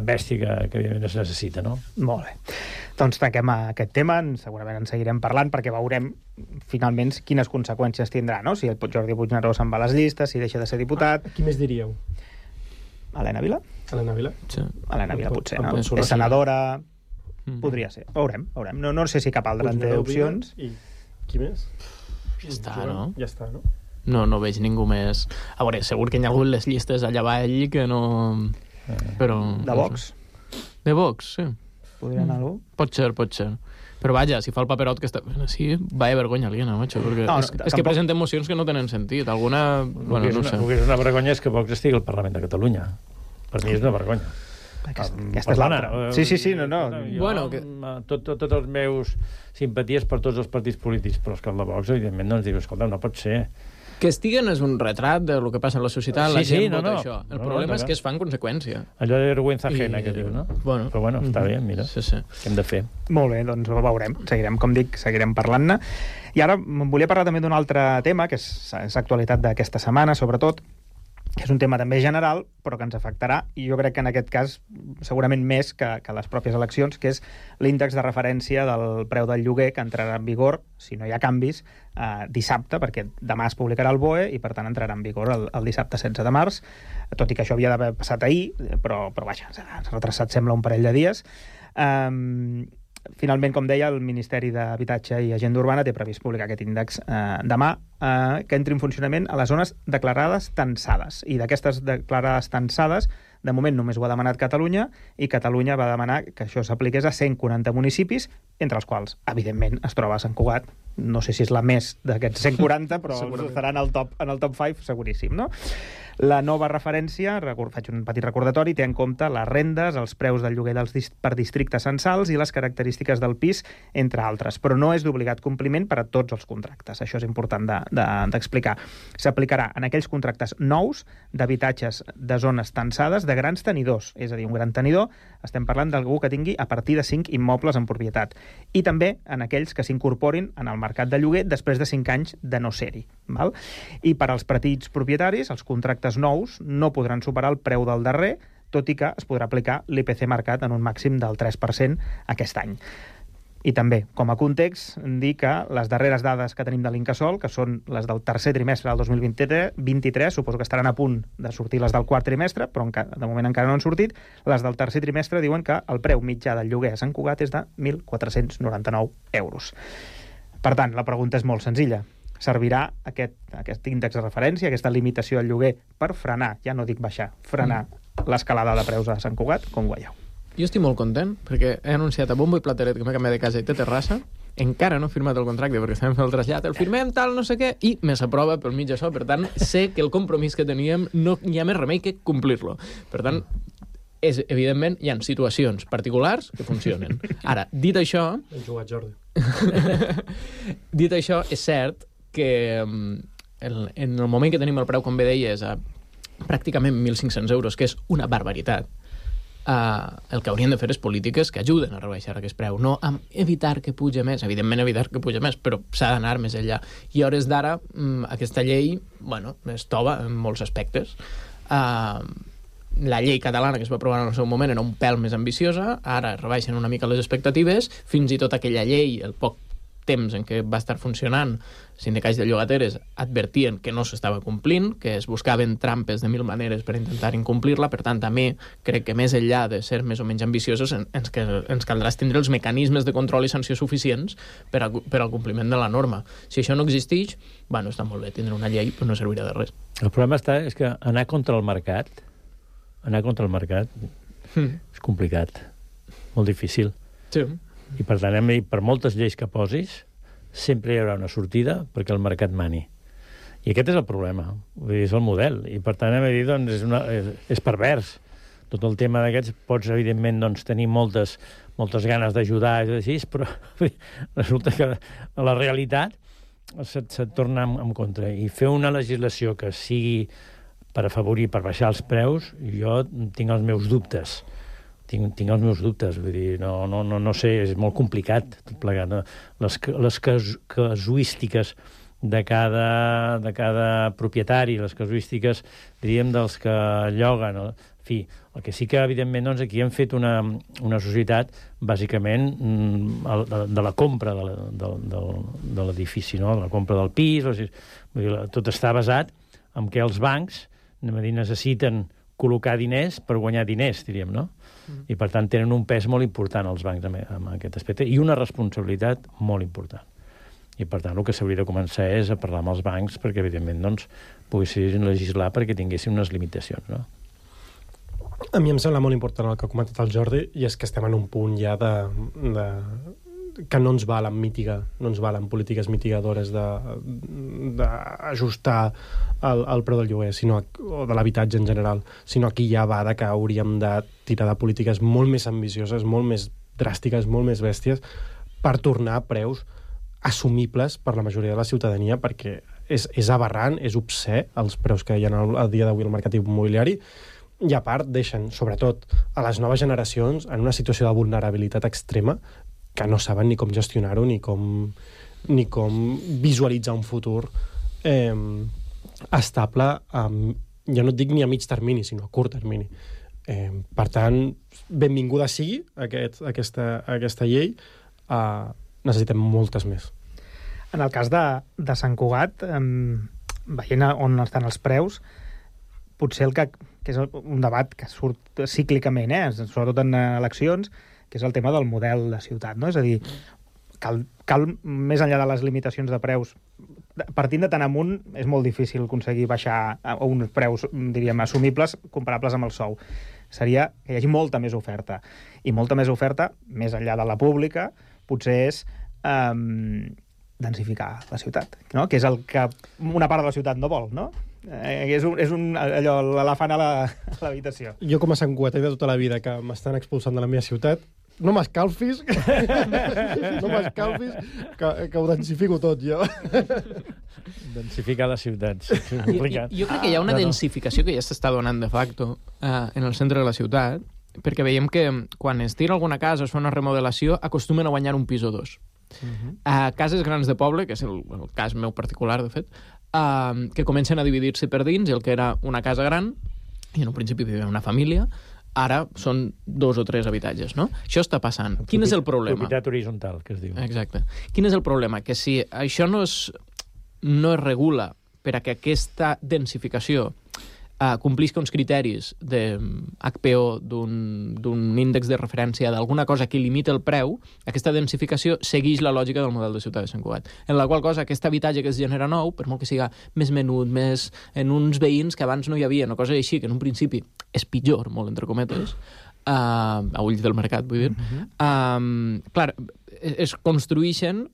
bèstia que evidentment es necessita, no? Molt bé. Doncs tanquem aquest tema, segurament en seguirem parlant, perquè veurem finalment quines conseqüències tindrà, no? Si el Jordi Puigneró se'n va a les llistes, si deixa de ser diputat... Qui més diríeu? Helena Vila? Helena Vila? Sí. Helena Vila potser, no? És senadora... Podria ser. Veurem. No sé si cap altra té opcions. I qui més? Ja està, no? Ja està, no? No veig ningú més... A veure, segur que hi ha hagut les llistes allà avall que no... Però... De Vox? De Vox, sí. Podria anar algú? Pot ser. Però vaja, si fa el paperot que està... Sí, vaya vergonya aliena, macho, perquè és que presenten mocions que no tenen sentit. Alguna... Bueno, no sé. El que és una vergonya és que Vox estigui al Parlament de Catalunya. Per mi és una vergonya. Aquesta és l'altra. Sí, no. Bueno, tots els meus simpaties per tots els partits polítics, però és que el de Vox, evidentment, no ens diu, escolta, no pot ser... Que estiguen és un retrat de lo que passa a la societat, la gent vota això. El problema és que es fa en conseqüència. Allò de vergüenza ajena que diu, no? Però bueno, està bé, mira, què hem de fer? Molt bé, doncs ho veurem. Seguirem, com dic, seguirem parlant-ne. I ara volia parlar també d'un altre tema, que és actualitat d'aquesta setmana, sobretot, que és un tema també general, però que ens afectarà, i jo crec que en aquest cas segurament més que les pròpies eleccions, que és l'índex de referència del preu del lloguer, que entrarà en vigor, si no hi ha canvis, dissabte, perquè demà es publicarà el BOE i per tant entrarà en vigor el dissabte 16 de març, tot i que això havia d'haver passat ahir, però vaja, s'ha retrasat sembla un parell de dies. Finalment, com deia, el Ministeri d'Habitatge i Agenda Urbana té previst publicar aquest índex demà, que entri en funcionament a les zones declarades tensades. I d'aquestes declarades tensades, de moment només ho ha demanat Catalunya, i Catalunya va demanar que això s'apliqués a 140 municipis, entre els quals, evidentment, es troba Sant Cugat. No sé si és la més d'aquests 140, però estarà en el top 5, seguríssim, no? La nova referència, faig un petit recordatori, té en compte les rendes, els preus del lloguer per districtes censals i les característiques del pis, entre altres, però no és d'obligat compliment per a tots els contractes. Això és important d'explicar. S'aplicarà en aquells contractes nous d'habitatges de zones tensades de grans tenidors, és a dir, un gran tenidor, estem parlant d'algú que tingui a partir de 5 immobles en propietat, i també en aquells que s'incorporin en el mercat de lloguer després de 5 anys de no ser-hi. I per als petits propietaris, els contractes nous no podran superar el preu del darrer, tot i que es podrà aplicar l'IPC marcat en un màxim del 3% aquest any. I també, com a context, dir que les darreres dades que tenim de l'Incasòl, que són les del tercer trimestre del 2023, suposo que estaran a punt de sortir les del quart trimestre, però de moment encara no han sortit, les del tercer trimestre diuen que el preu mitjà del lloguer a Sant Cugat és de 1.499 euros. Per tant, la pregunta és molt senzilla. Servirà aquest índex de referència, aquesta limitació al lloguer, per frenar, ja no dic baixar, frenar l'escalada de preus a Sant Cugat, com veieu? Jo estic molt content, perquè he anunciat a bombo i plateret que m'he canviat de casa i té terrassa, encara no he firmat el contracte perquè estem fent el trasllat, el firmem, tal, no sé què, i me s'aprova pel mig això, per tant, sé que el compromís que teníem no hi ha més remei que complir-lo. Per tant, evidentment, hi ha situacions particulars que funcionen. Ara, dit això... Hem jugat, Jordi. Dit això, és cert que en el moment que tenim el preu, com bé deies, a pràcticament 1.500 euros, que és una barbaritat, el que haurien de fer és polítiques que ajuden a rebaixar aquest preu, no a evitar que puja més, evidentment evitar que puja més, però s'ha d'anar més enllà. I a hores d'ara, aquesta llei, es tova en molts aspectes. La llei catalana que es va aprovar en el seu moment era un pèl més ambiciosa, ara rebaixen una mica les expectatives, fins i tot aquella llei, el poc temps en què va estar funcionant, sindicats de llogateres advertien que no s'estava complint, que es buscaven trampes de 1000 maneres per intentar incomplir-la. Per tant, també crec que més enllà de ser més o menys ambiciosos, ens caldrà tindre els mecanismes de control i sanció suficients per al compliment de la norma. Si això no existeix, està molt bé tindre una llei, però no servirà de res. El problema és que anar contra el mercat és complicat, molt difícil. Sí. I per tant, per moltes lleis que posis, sempre hi haurà una sortida perquè el mercat mani. I aquest és el problema, és el model. I per tant, és pervers. Tot el tema d'aquests, pots, evidentment, tenir moltes ganes d'ajudar, però resulta que la realitat se't torna en contra. I fer una legislació que sigui per afavorir, per baixar els preus, jo tinc els meus dubtes. Tinc els meus dubtes, vull dir, no sé, és molt complicat tot plegat. Les casuístiques de cada propietari, les casuístiques, diríem, dels que lloguen. En fi, el que sí que, evidentment, aquí hem fet una societat, bàsicament, de la compra de l'edifici, no? De la compra del pis. Vull dir, tot està basat en què els bancs necessiten col·locar diners per guanyar diners, diríem, no? I, per tant, tenen un pes molt important els bancs en aquest aspecte i una responsabilitat molt important. I, per tant, el que s'hauria de començar és a parlar amb els bancs perquè, evidentment, poguessin legislar perquè tinguessin unes limitacions, no? A mi em sembla molt important el que ha comentat el Jordi, i és que estem en un punt ja que no ens valen mitigar, no ens valen polítiques mitigadores d'ajustar el preu del lloguer o de l'habitatge en general, sinó aquí ja va que hauríem de tirar de polítiques molt més ambicioses, molt més dràstiques, molt més bèsties, per tornar a preus assumibles per la majoria de la ciutadania, perquè és aberrant, és obscè els preus que hi ha a dia d'avui al mercat immobiliari, i a part deixen, sobretot a les noves generacions, en una situació de vulnerabilitat extrema que no saben ni com gestionar-ho ni com visualitzar un futur estable jo no et dic ni a mig termini, sinó a curt termini. Per tant, benvinguda sigui aquesta llei, necessitem moltes més. En el cas de Sant Cugat, veient on estan els preus, potser el que és un debat que surt cíclicament, sobretot en eleccions, que és el tema del model de ciutat, no? És a dir, cal més enllà de les limitacions de preus, partint de tant amunt, és molt difícil aconseguir baixar a uns preus, diríem, assumibles, comparables amb el sou. Seria que hi hagi molta més oferta. I molta més oferta, més enllà de la pública, potser és densificar la ciutat, no? Que és el que una part de la ciutat no vol, no? És allò, l'elefant a l'habitació. Jo, com a santcugatà de tota la vida, que m'estan expulsant de la meva ciutat, no m'escalfis, que ho densifico tot, jo. Densificar les ciutats. Jo crec que hi ha una densificació que ja s'està donant de facto en el centre de la ciutat, perquè veiem que quan es tira alguna casa, es fa una remodelació, acostumen a guanyar un pis o dos. A cases grans de poble, que és el cas meu particular, de fet, que comencen a dividir-se per dins, i el que era una casa gran, i en un principi vivia una família, ara són 2 o 3 habitatges, no? Això està passant. Quin és el problema? Propietat horitzontal, que es diu. Exacte. Quin és el problema? Que si això no es regula per a que aquesta densificació complisca uns criteris de HPO, d'un índex de referència d'alguna cosa que limita el preu, aquesta densificació segueix la lògica del model de ciutat de Sant Cugat, en la qual cosa aquest habitatge que es genera nou, per molt que siga més menut, més en uns veïns que abans no hi havia, una cosa així, que en un principi és pitjor, molt entre cometes, a ulls del mercat, vull dir, clar, es construïxen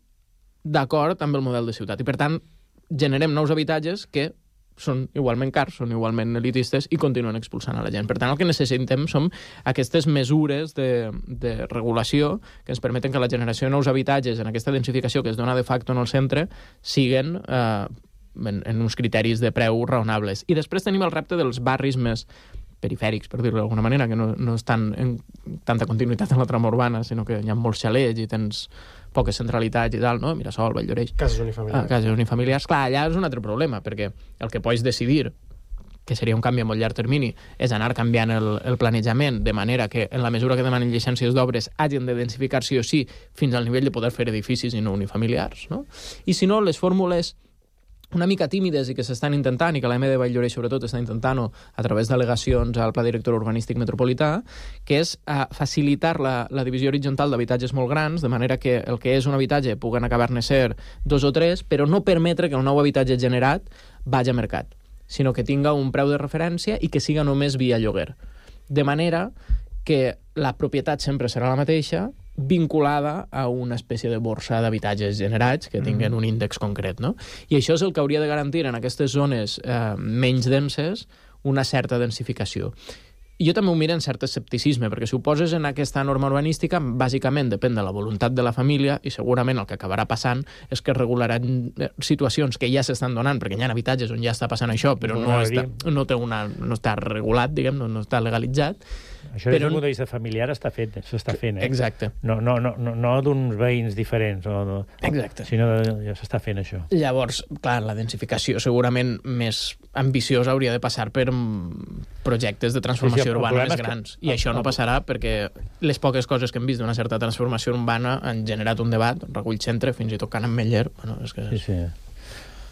d'acord amb el model de ciutat, i per tant generem nous habitatges que són igualment cars, són igualment elitistes i continuen expulsant a la gent. Per tant, el que necessitem són aquestes mesures de regulació que ens permeten que la generació de nous habitatges en aquesta densificació que es dona de facto en el centre siguen en uns criteris de preu raonables. I després tenim el repte dels barris més perifèrics, per dir-ho d'alguna manera, que no estan en tanta continuïtat en la trama urbana, sinó que hi ha molts xalets i tens poques centralitats i tal, no? Mirasol, Valldoreix. Cases unifamiliars. Cases unifamiliars. Clar, allà és un altre problema, perquè el que pots decidir, que seria un canvi a molt llarg termini, és anar canviant el planejament de manera que, en la mesura que demanen llicències d'obres, hagin de densificar sí o sí fins al nivell de poder fer edificis i no unifamiliars, no? I si no, les fórmules una mica tímides i que s'estan intentant, i que l'AM de Valldoreix sobretot està intentant-ho a través d'al·legacions al Pla Director Urbanístic Metropolità, que és facilitar la divisió horitzontal d'habitatges molt grans, de manera que el que és un habitatge puguen acabar-ne ser 2 o 3, però no permetre que el nou habitatge generat vagi a mercat, sinó que tinga un preu de referència i que siga només via lloguer. De manera que la propietat sempre serà la mateixa, vinculada a una espècie de borsa d'habitatges generats que tinguen un índex concret, no? I això és el que hauria de garantir en aquestes zones menys denses una certa densificació. Jo també ho miro en cert escepticisme, perquè si ho poses en aquesta norma urbanística, bàsicament depèn de la voluntat de la família i segurament el que acabarà passant és que es regularan situacions que ja s'estan donant, perquè hi ha habitatges on ja està passant això, però no està regulat, diguem, no està legalitzat. Això des d'un punt de vista familiar s'està fent. Exacte. No d'uns veïns diferents, exacte. Sinó ja s'està fent això. Llavors, clar, la densificació segurament més ambiciosa hauria de passar per projectes de transformació urbana més grans. I això no passarà perquè les poques coses que hem vist d'una certa transformació urbana han generat un debat, Recull Centre, fins i tot Can Ametller. Bueno, és que... Sí.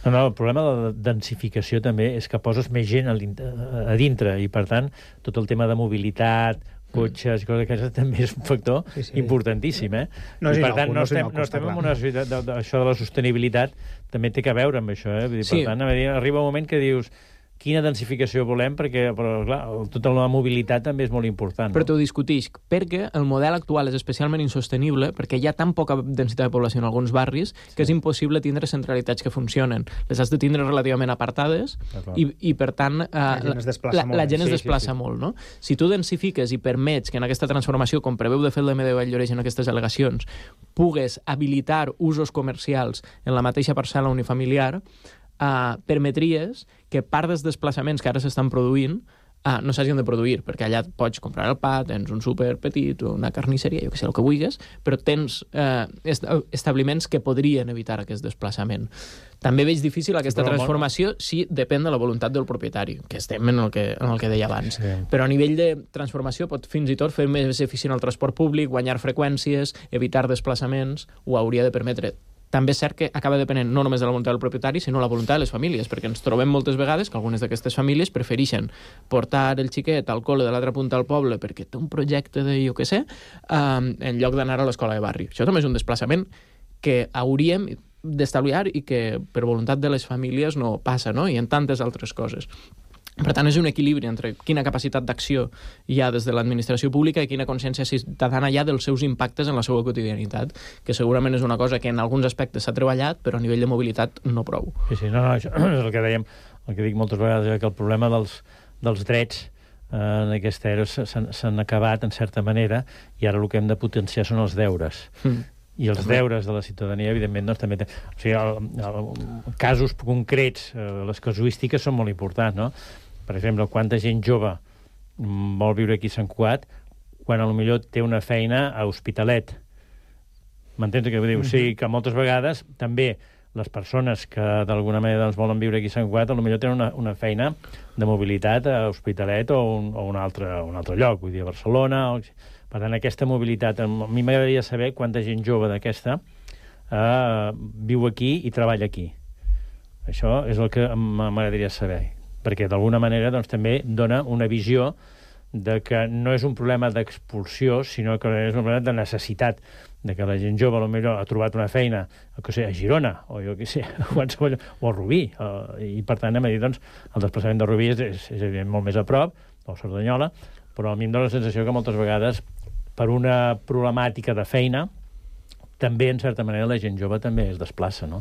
No, el problema de la densificació també és que poses més gent a dintre i, per tant, tot el tema de mobilitat, cotxes i coses d'aquestes també és un factor importantíssim, eh? I, per tant, no estem en una societat... Això de la sostenibilitat també té a veure amb això, eh? Per tant, arriba un moment que dius quina densificació volem, però clar, tota la mobilitat també és molt important. Però t'ho discutix, perquè el model actual és especialment insostenible, perquè hi ha tan poca densitat de població en alguns barris que és impossible tindre centralitats que funcionen. Les has de tindre relativament apartades i per tant, la gent es desplaça molt, no? Si tu densifiques i permets que en aquesta transformació, com preveu de fet l'AM de Valldoreix en aquestes al·legacions, pugues habilitar usos comercials en la mateixa parcel·la unifamiliar, permetries que part dels desplaçaments que ara s'estan produint no s'hagin de produir, perquè allà pots comprar el pa, tens un súper petit o una carnisseria, jo que sé, el que vulguis, però tens establiments que podrien evitar aquest desplaçament. També veig difícil aquesta transformació si depèn de la voluntat del propietari, que estem en el que deia abans. Sí. Però a nivell de transformació pot fins i tot fer més eficient el transport públic, guanyar freqüències, evitar desplaçaments, ho hauria de permetre. També és cert que acaba depenent no només de la voluntat del propietari, sinó la voluntat de les famílies, perquè ens trobem moltes vegades que algunes d'aquestes famílies prefereixen portar el xiquet al col·le de l'altra punta del poble perquè té un projecte de jo què sé, en lloc d'anar a l'escola de barri. Això també és un desplaçament que hauríem d'estalviar i que per voluntat de les famílies no passa, no? I en tantes altres coses. Per tant, és un equilibri entre quina capacitat d'acció hi ha des de l'administració pública i quina consciència ciutadana hi ha dels seus impactes en la seva quotidianitat, que segurament és una cosa que en alguns aspectes s'ha treballat, però a nivell de mobilitat no prou. Sí, no, això és el que dèiem, el que dic moltes vegades, que el problema dels drets en aquesta era s'han acabat, en certa manera, i ara el que hem de potenciar són els deures. I els deures de la ciutadania, evidentment, doncs, també... O sigui, casos concrets, les casuístiques són molt importants, no? Per exemple, quanta gent jove vol viure aquí a Sant Cugat quan potser té una feina a Hospitalet. M'entens què vull dir? O sigui, que moltes vegades també les persones que d'alguna manera doncs, volen viure aquí a Sant Cugat potser tenen una feina de mobilitat a Hospitalet o un altre lloc, vull dir, a Barcelona... Per tant, aquesta mobilitat, a mi m'agradaria saber quanta gent jove d'aquesta viu aquí i treballa aquí. Això és el que m'agradaria saber, perquè d'alguna manera doncs, també dona una visió de que no és un problema d'expulsió, sinó que és un problema de necessitat, de que la gent jove potser ha trobat una feina a Girona, o jo què sé, o a Rubí, i per tant, doncs, el desplaçament de Rubí és evident molt més a prop, o Cerdanyola, però a mi em dóna la sensació que moltes vegades per una problemàtica de feina, també, en certa manera, la gent jove també es desplaça, no?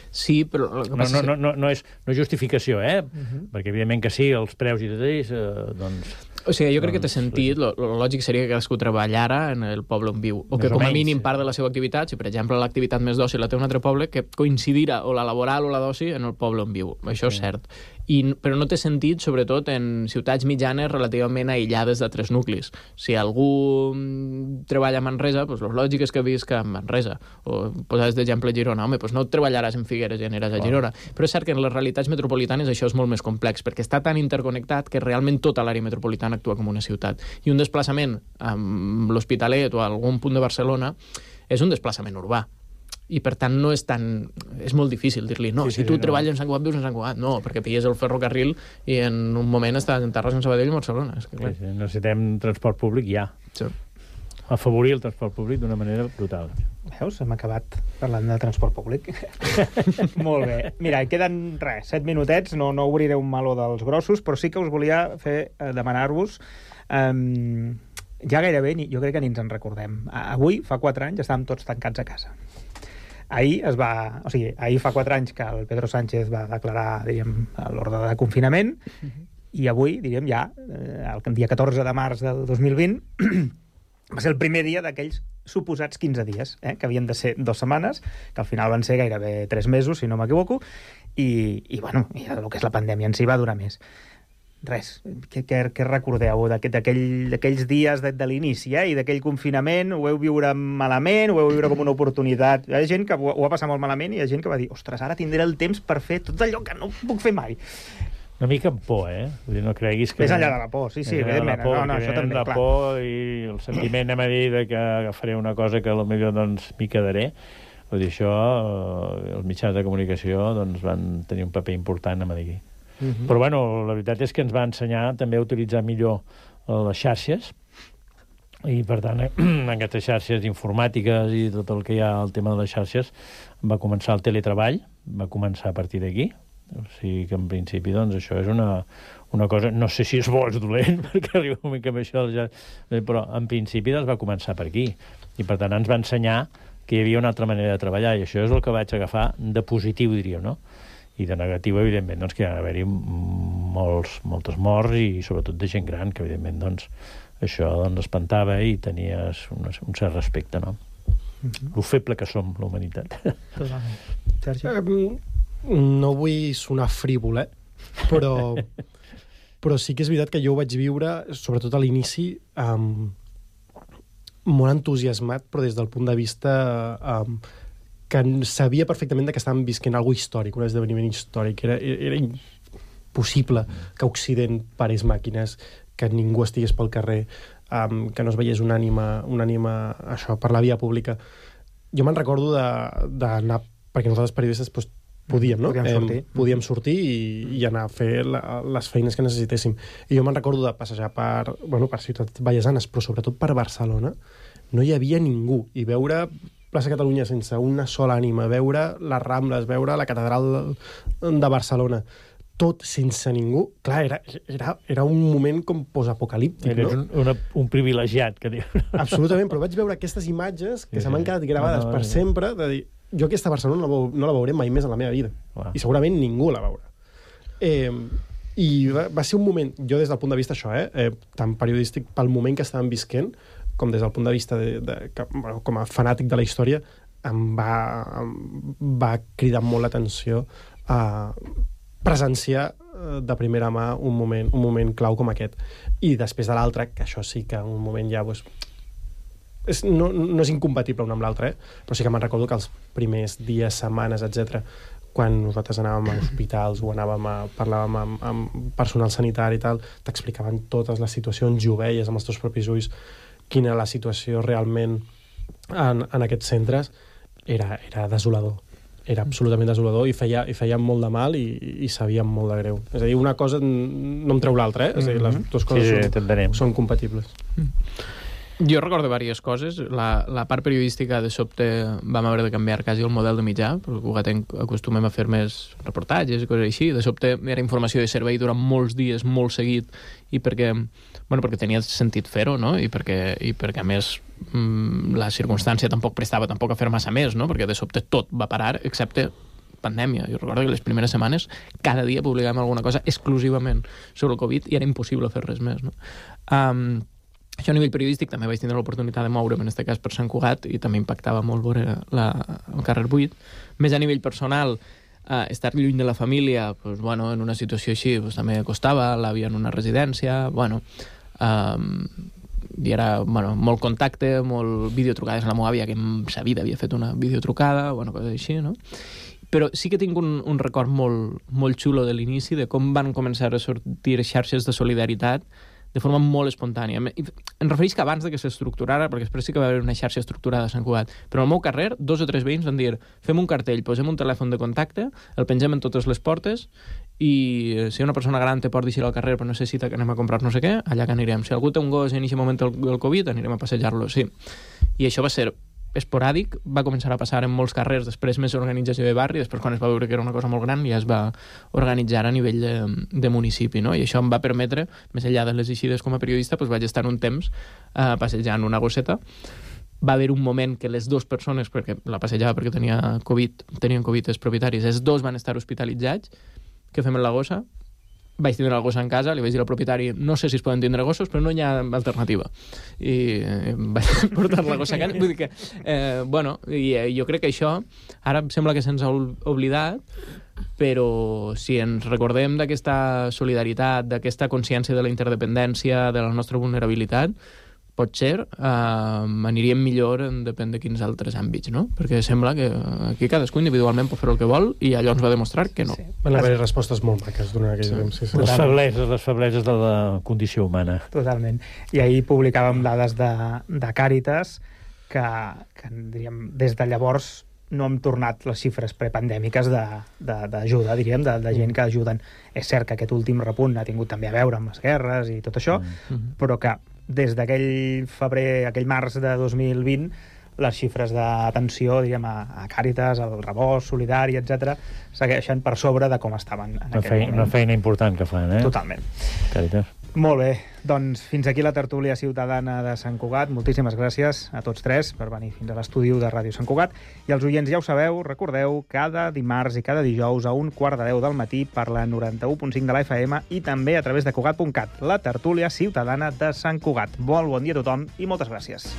Sí, però... No és justificació, perquè evidentment que sí, els preus i tot ells, doncs... O sigui, jo crec que té sentit, el lògic seria que cadascú treballara en el poble on viu, o que com a mínim part de la seva activitat, si per exemple l'activitat més d'oci la té un altre poble, que coincidirà o la laboral o la d'oci en el poble on viu. Això és cert. Però no té sentit, sobretot, en ciutats mitjanes relativament aïllades d'altres nuclis. Si algú treballa a Manresa, doncs el lògic és que visca a Manresa. O posaves d'exemple Girona. Home, doncs no treballaràs en Figueres i aniràs a Girona. Però és cert que en les realitats metropolitanes això és molt més complex, perquè està tan interconnectat que realment tota l'àrea metropolitana actua com una ciutat. I un desplaçament a l'Hospitalet o a algun punt de Barcelona és un desplaçament urbà. I per tant no és tan... És molt difícil dir-li, no, si tu treballes en Sant Cugat, vius en Sant Cugat. No, perquè pilles el ferrocarril i en un moment estàs en Terrassa, en Sabadell i Barcelona. Necessitem transport públic ja. Sí. Afavorir el transport públic d'una manera brutal. Veus? Hem acabat parlant de transport públic. Molt bé. Mira, queden 7 minutets, no obriré un meló dels grossos, però sí que us volia demanar-vos... ja gairebé, jo crec que ni ens en recordem. Avui, fa 4 anys, estàvem tots tancats a casa. Ahir fa 4 anys que el Pedro Sánchez va declarar, diríem, l'ordre de confinament, i avui, diríem, ja, el dia 14 de març del 2020, va ser el primer dia d'aquells suposats 15 dies, que havien de ser 2 setmanes, que al final van ser gairebé 3 mesos, si no m'equivoco, i bueno, el que és la pandèmia en si va durar més. Res, què recordeu d'aquells dies de l'inici i d'aquell confinament? Ho heu viure malament? Ho heu viure com una oportunitat? Hi ha gent que ho va passar molt malament i hi ha gent que va dir, ostres, ara tindré el temps per fer tot allò que no puc fer mai. Una mica amb por, Vull dir, no creguis que... Més enllà de la por, sí, evidentment. No, això també, clar. La por i el sentiment, a dir, de que agafaré una cosa que potser doncs m'hi quedaré. Vull dir, això, els mitjans de comunicació doncs, van tenir un paper important, a dir. Però, bueno, la veritat és que ens va ensenyar també a utilitzar millor les xarxes i, per tant, aquestes xarxes informàtiques i tot el que hi ha al tema de les xarxes va començar el teletreball, va començar a partir d'aquí. O sigui que, en principi, doncs, això és una cosa... No sé si és bo o és dolent, perquè arriba un mica amb això, però, en principi, doncs, va començar per aquí. I, per tant, ens va ensenyar que hi havia una altra manera de treballar, i això és el que vaig agafar de positiu, diríem, no? I de negatiu, evidentment, doncs, que hi ha d'haver-hi moltes morts i sobretot de gent gran, que evidentment doncs, això doncs, espantava i tenies un cert respecte, no? Lo feble que som, la humanitat. No vull sonar frívol, però Però sí que és veritat que jo ho vaig viure, sobretot a l'inici, molt entusiasmat, però des del punt de vista que sabia perfectament que estàvem visquent alguna històric, un esdeveniment històric. Era impossible que Occident parés màquines, que ningú estigués pel carrer, que no es veiés una ànima això, per la via pública. Jo me'n recordo d'anar, perquè nosaltres periodistes podíem, no? Podíem sortir i anar a fer les feines que necessitéssim. I jo me'n recordo de passejar per ciutats vallesanes, però sobretot per Barcelona. No hi havia ningú. I veure Plaça Catalunya sense una sola ànima, veure les Rambles, veure la catedral de Barcelona, tot sense ningú. Clar, era un moment com postapocalíptic, no? Eres un privilegiat, que diu. Absolutament, però vaig veure aquestes imatges que se m'han quedat gravades per sempre, de dir, jo aquesta Barcelona no la veuré mai més en la meva vida. I segurament ningú la veurà. I va ser un moment, jo des del punt de vista això, tant periodístic pel moment que estàvem visquent, com des del punt de vista com a fanàtic de la història, em va cridar molt l'atenció a presenciar de primera mà un moment clau com aquest. I després de l'altre, que això sí que un moment ja no és incompatible un amb l'altre, però sí que me'n recordo que els primers dies, setmanes, etc., quan nosaltres anàvem a hospitals o parlàvem amb personal sanitari i tal, t'explicaven totes les situacions i ho veies amb els teus propis ulls, quina era la situació realment en aquests centres, era desolador. Era absolutament desolador i feia molt de mal i sabia molt de greu. És a dir, una cosa no em treu l'altra, És a dir, les dues coses són compatibles. Jo recordo diverses coses. La part periodística, de sobte, vam haver de canviar quasi el model de mitjà, perquè Cugatenc acostumem a fer més reportatges i coses així. De sobte era informació de servei durant molts dies, molt seguit, i perquè tenia sentit fer-ho, no? I perquè a més, la circumstància tampoc prestava tampoc a fer massa més, no? Perquè de sobte tot va parar, excepte pandèmia. Jo recordo que les primeres setmanes cada dia publicàvem alguna cosa exclusivament sobre el Covid i era impossible fer res més, no? Això a nivell periodístic també vaig tindre l'oportunitat de moure'm, en aquest cas per Sant Cugat, i també impactava molt veure el carrer buit. Més a nivell personal, estar lluny de la família, en una situació així també costava, l'àvia en una residència, i era molt contacte, molt videotrucades a la meva àvia, que en sa vida havia fet una videotrucada, coses així, no? Però sí que tinc un record molt xulo de l'inici, de com van començar a sortir xarxes de solidaritat de forma molt espontània. Em refereix que abans que s'estructurara, perquè després sí que va haver una xarxa estructurada a Sant Cugat, però al meu carrer 2 o 3 veïns van dir, fem un cartell, posem un telèfon de contacte, el pengem en totes les portes, i si una persona gran té por d'eixir al carrer però necessita que anem a comprar no sé què, allà que anirem. Si algú té un gos en aquest moment del Covid, anirem a passejar-lo, sí. I això va ser esporàdic, va començar a passar en molts carrers, després més organització de barri, després quan es va veure que era una cosa molt gran ja es va organitzar a nivell de municipi, no? I això em va permetre, més enllà de les eixides com a periodista, vaig estar un temps passejant una gosseta. Va haver un moment que les 2 persones, perquè la passejava perquè tenien Covid els propietaris, els 2 van estar hospitalitzats. Què fem amb la gossa? Vaig tindre la gossa en casa, li vaig dir al propietari, no sé si es poden tindre gossos, però no hi ha alternativa. I vaig portar la gossa a casa. Vull dir que, jo crec que això, ara sembla que se'ns ha oblidat, però si ens recordem d'aquesta solidaritat, d'aquesta consciència de la interdependència, de la nostra vulnerabilitat, potser aniríem millor en depèn de quins altres àmbits, no? Perquè sembla que aquí cadascú individualment pot fer el que vol i allò ens va demostrar que no. Sí. Van haver respostes molt maques durant aquell temps. Sí. Les febleses de la condició humana. Totalment. I ahir publicàvem dades de Càritas que diríem, des de llavors no hem tornat les xifres prepandèmiques d'ajuda, diríem, de gent que ajuden. És cert que aquest últim repunt ha tingut també a veure amb les guerres i tot això, però que des d'aquell febrer, aquell març de 2020, les xifres d'atenció, diríem, a Càritas, al Rebost, Solidari, etc., segueixen per sobre de com estaven en aquell moment. Una feina important que fan, Totalment. Càritas. Molt bé, doncs fins aquí la tertúlia ciutadana de Sant Cugat. Moltíssimes gràcies a tots 3 per venir fins a l'estudi de Ràdio Sant Cugat. I els oients ja ho sabeu, recordeu, cada dimarts i cada dijous a 9:45 del matí per la 91.5 de la FM i també a través de Cugat.cat, la tertúlia ciutadana de Sant Cugat. Bon dia a tothom i moltes gràcies.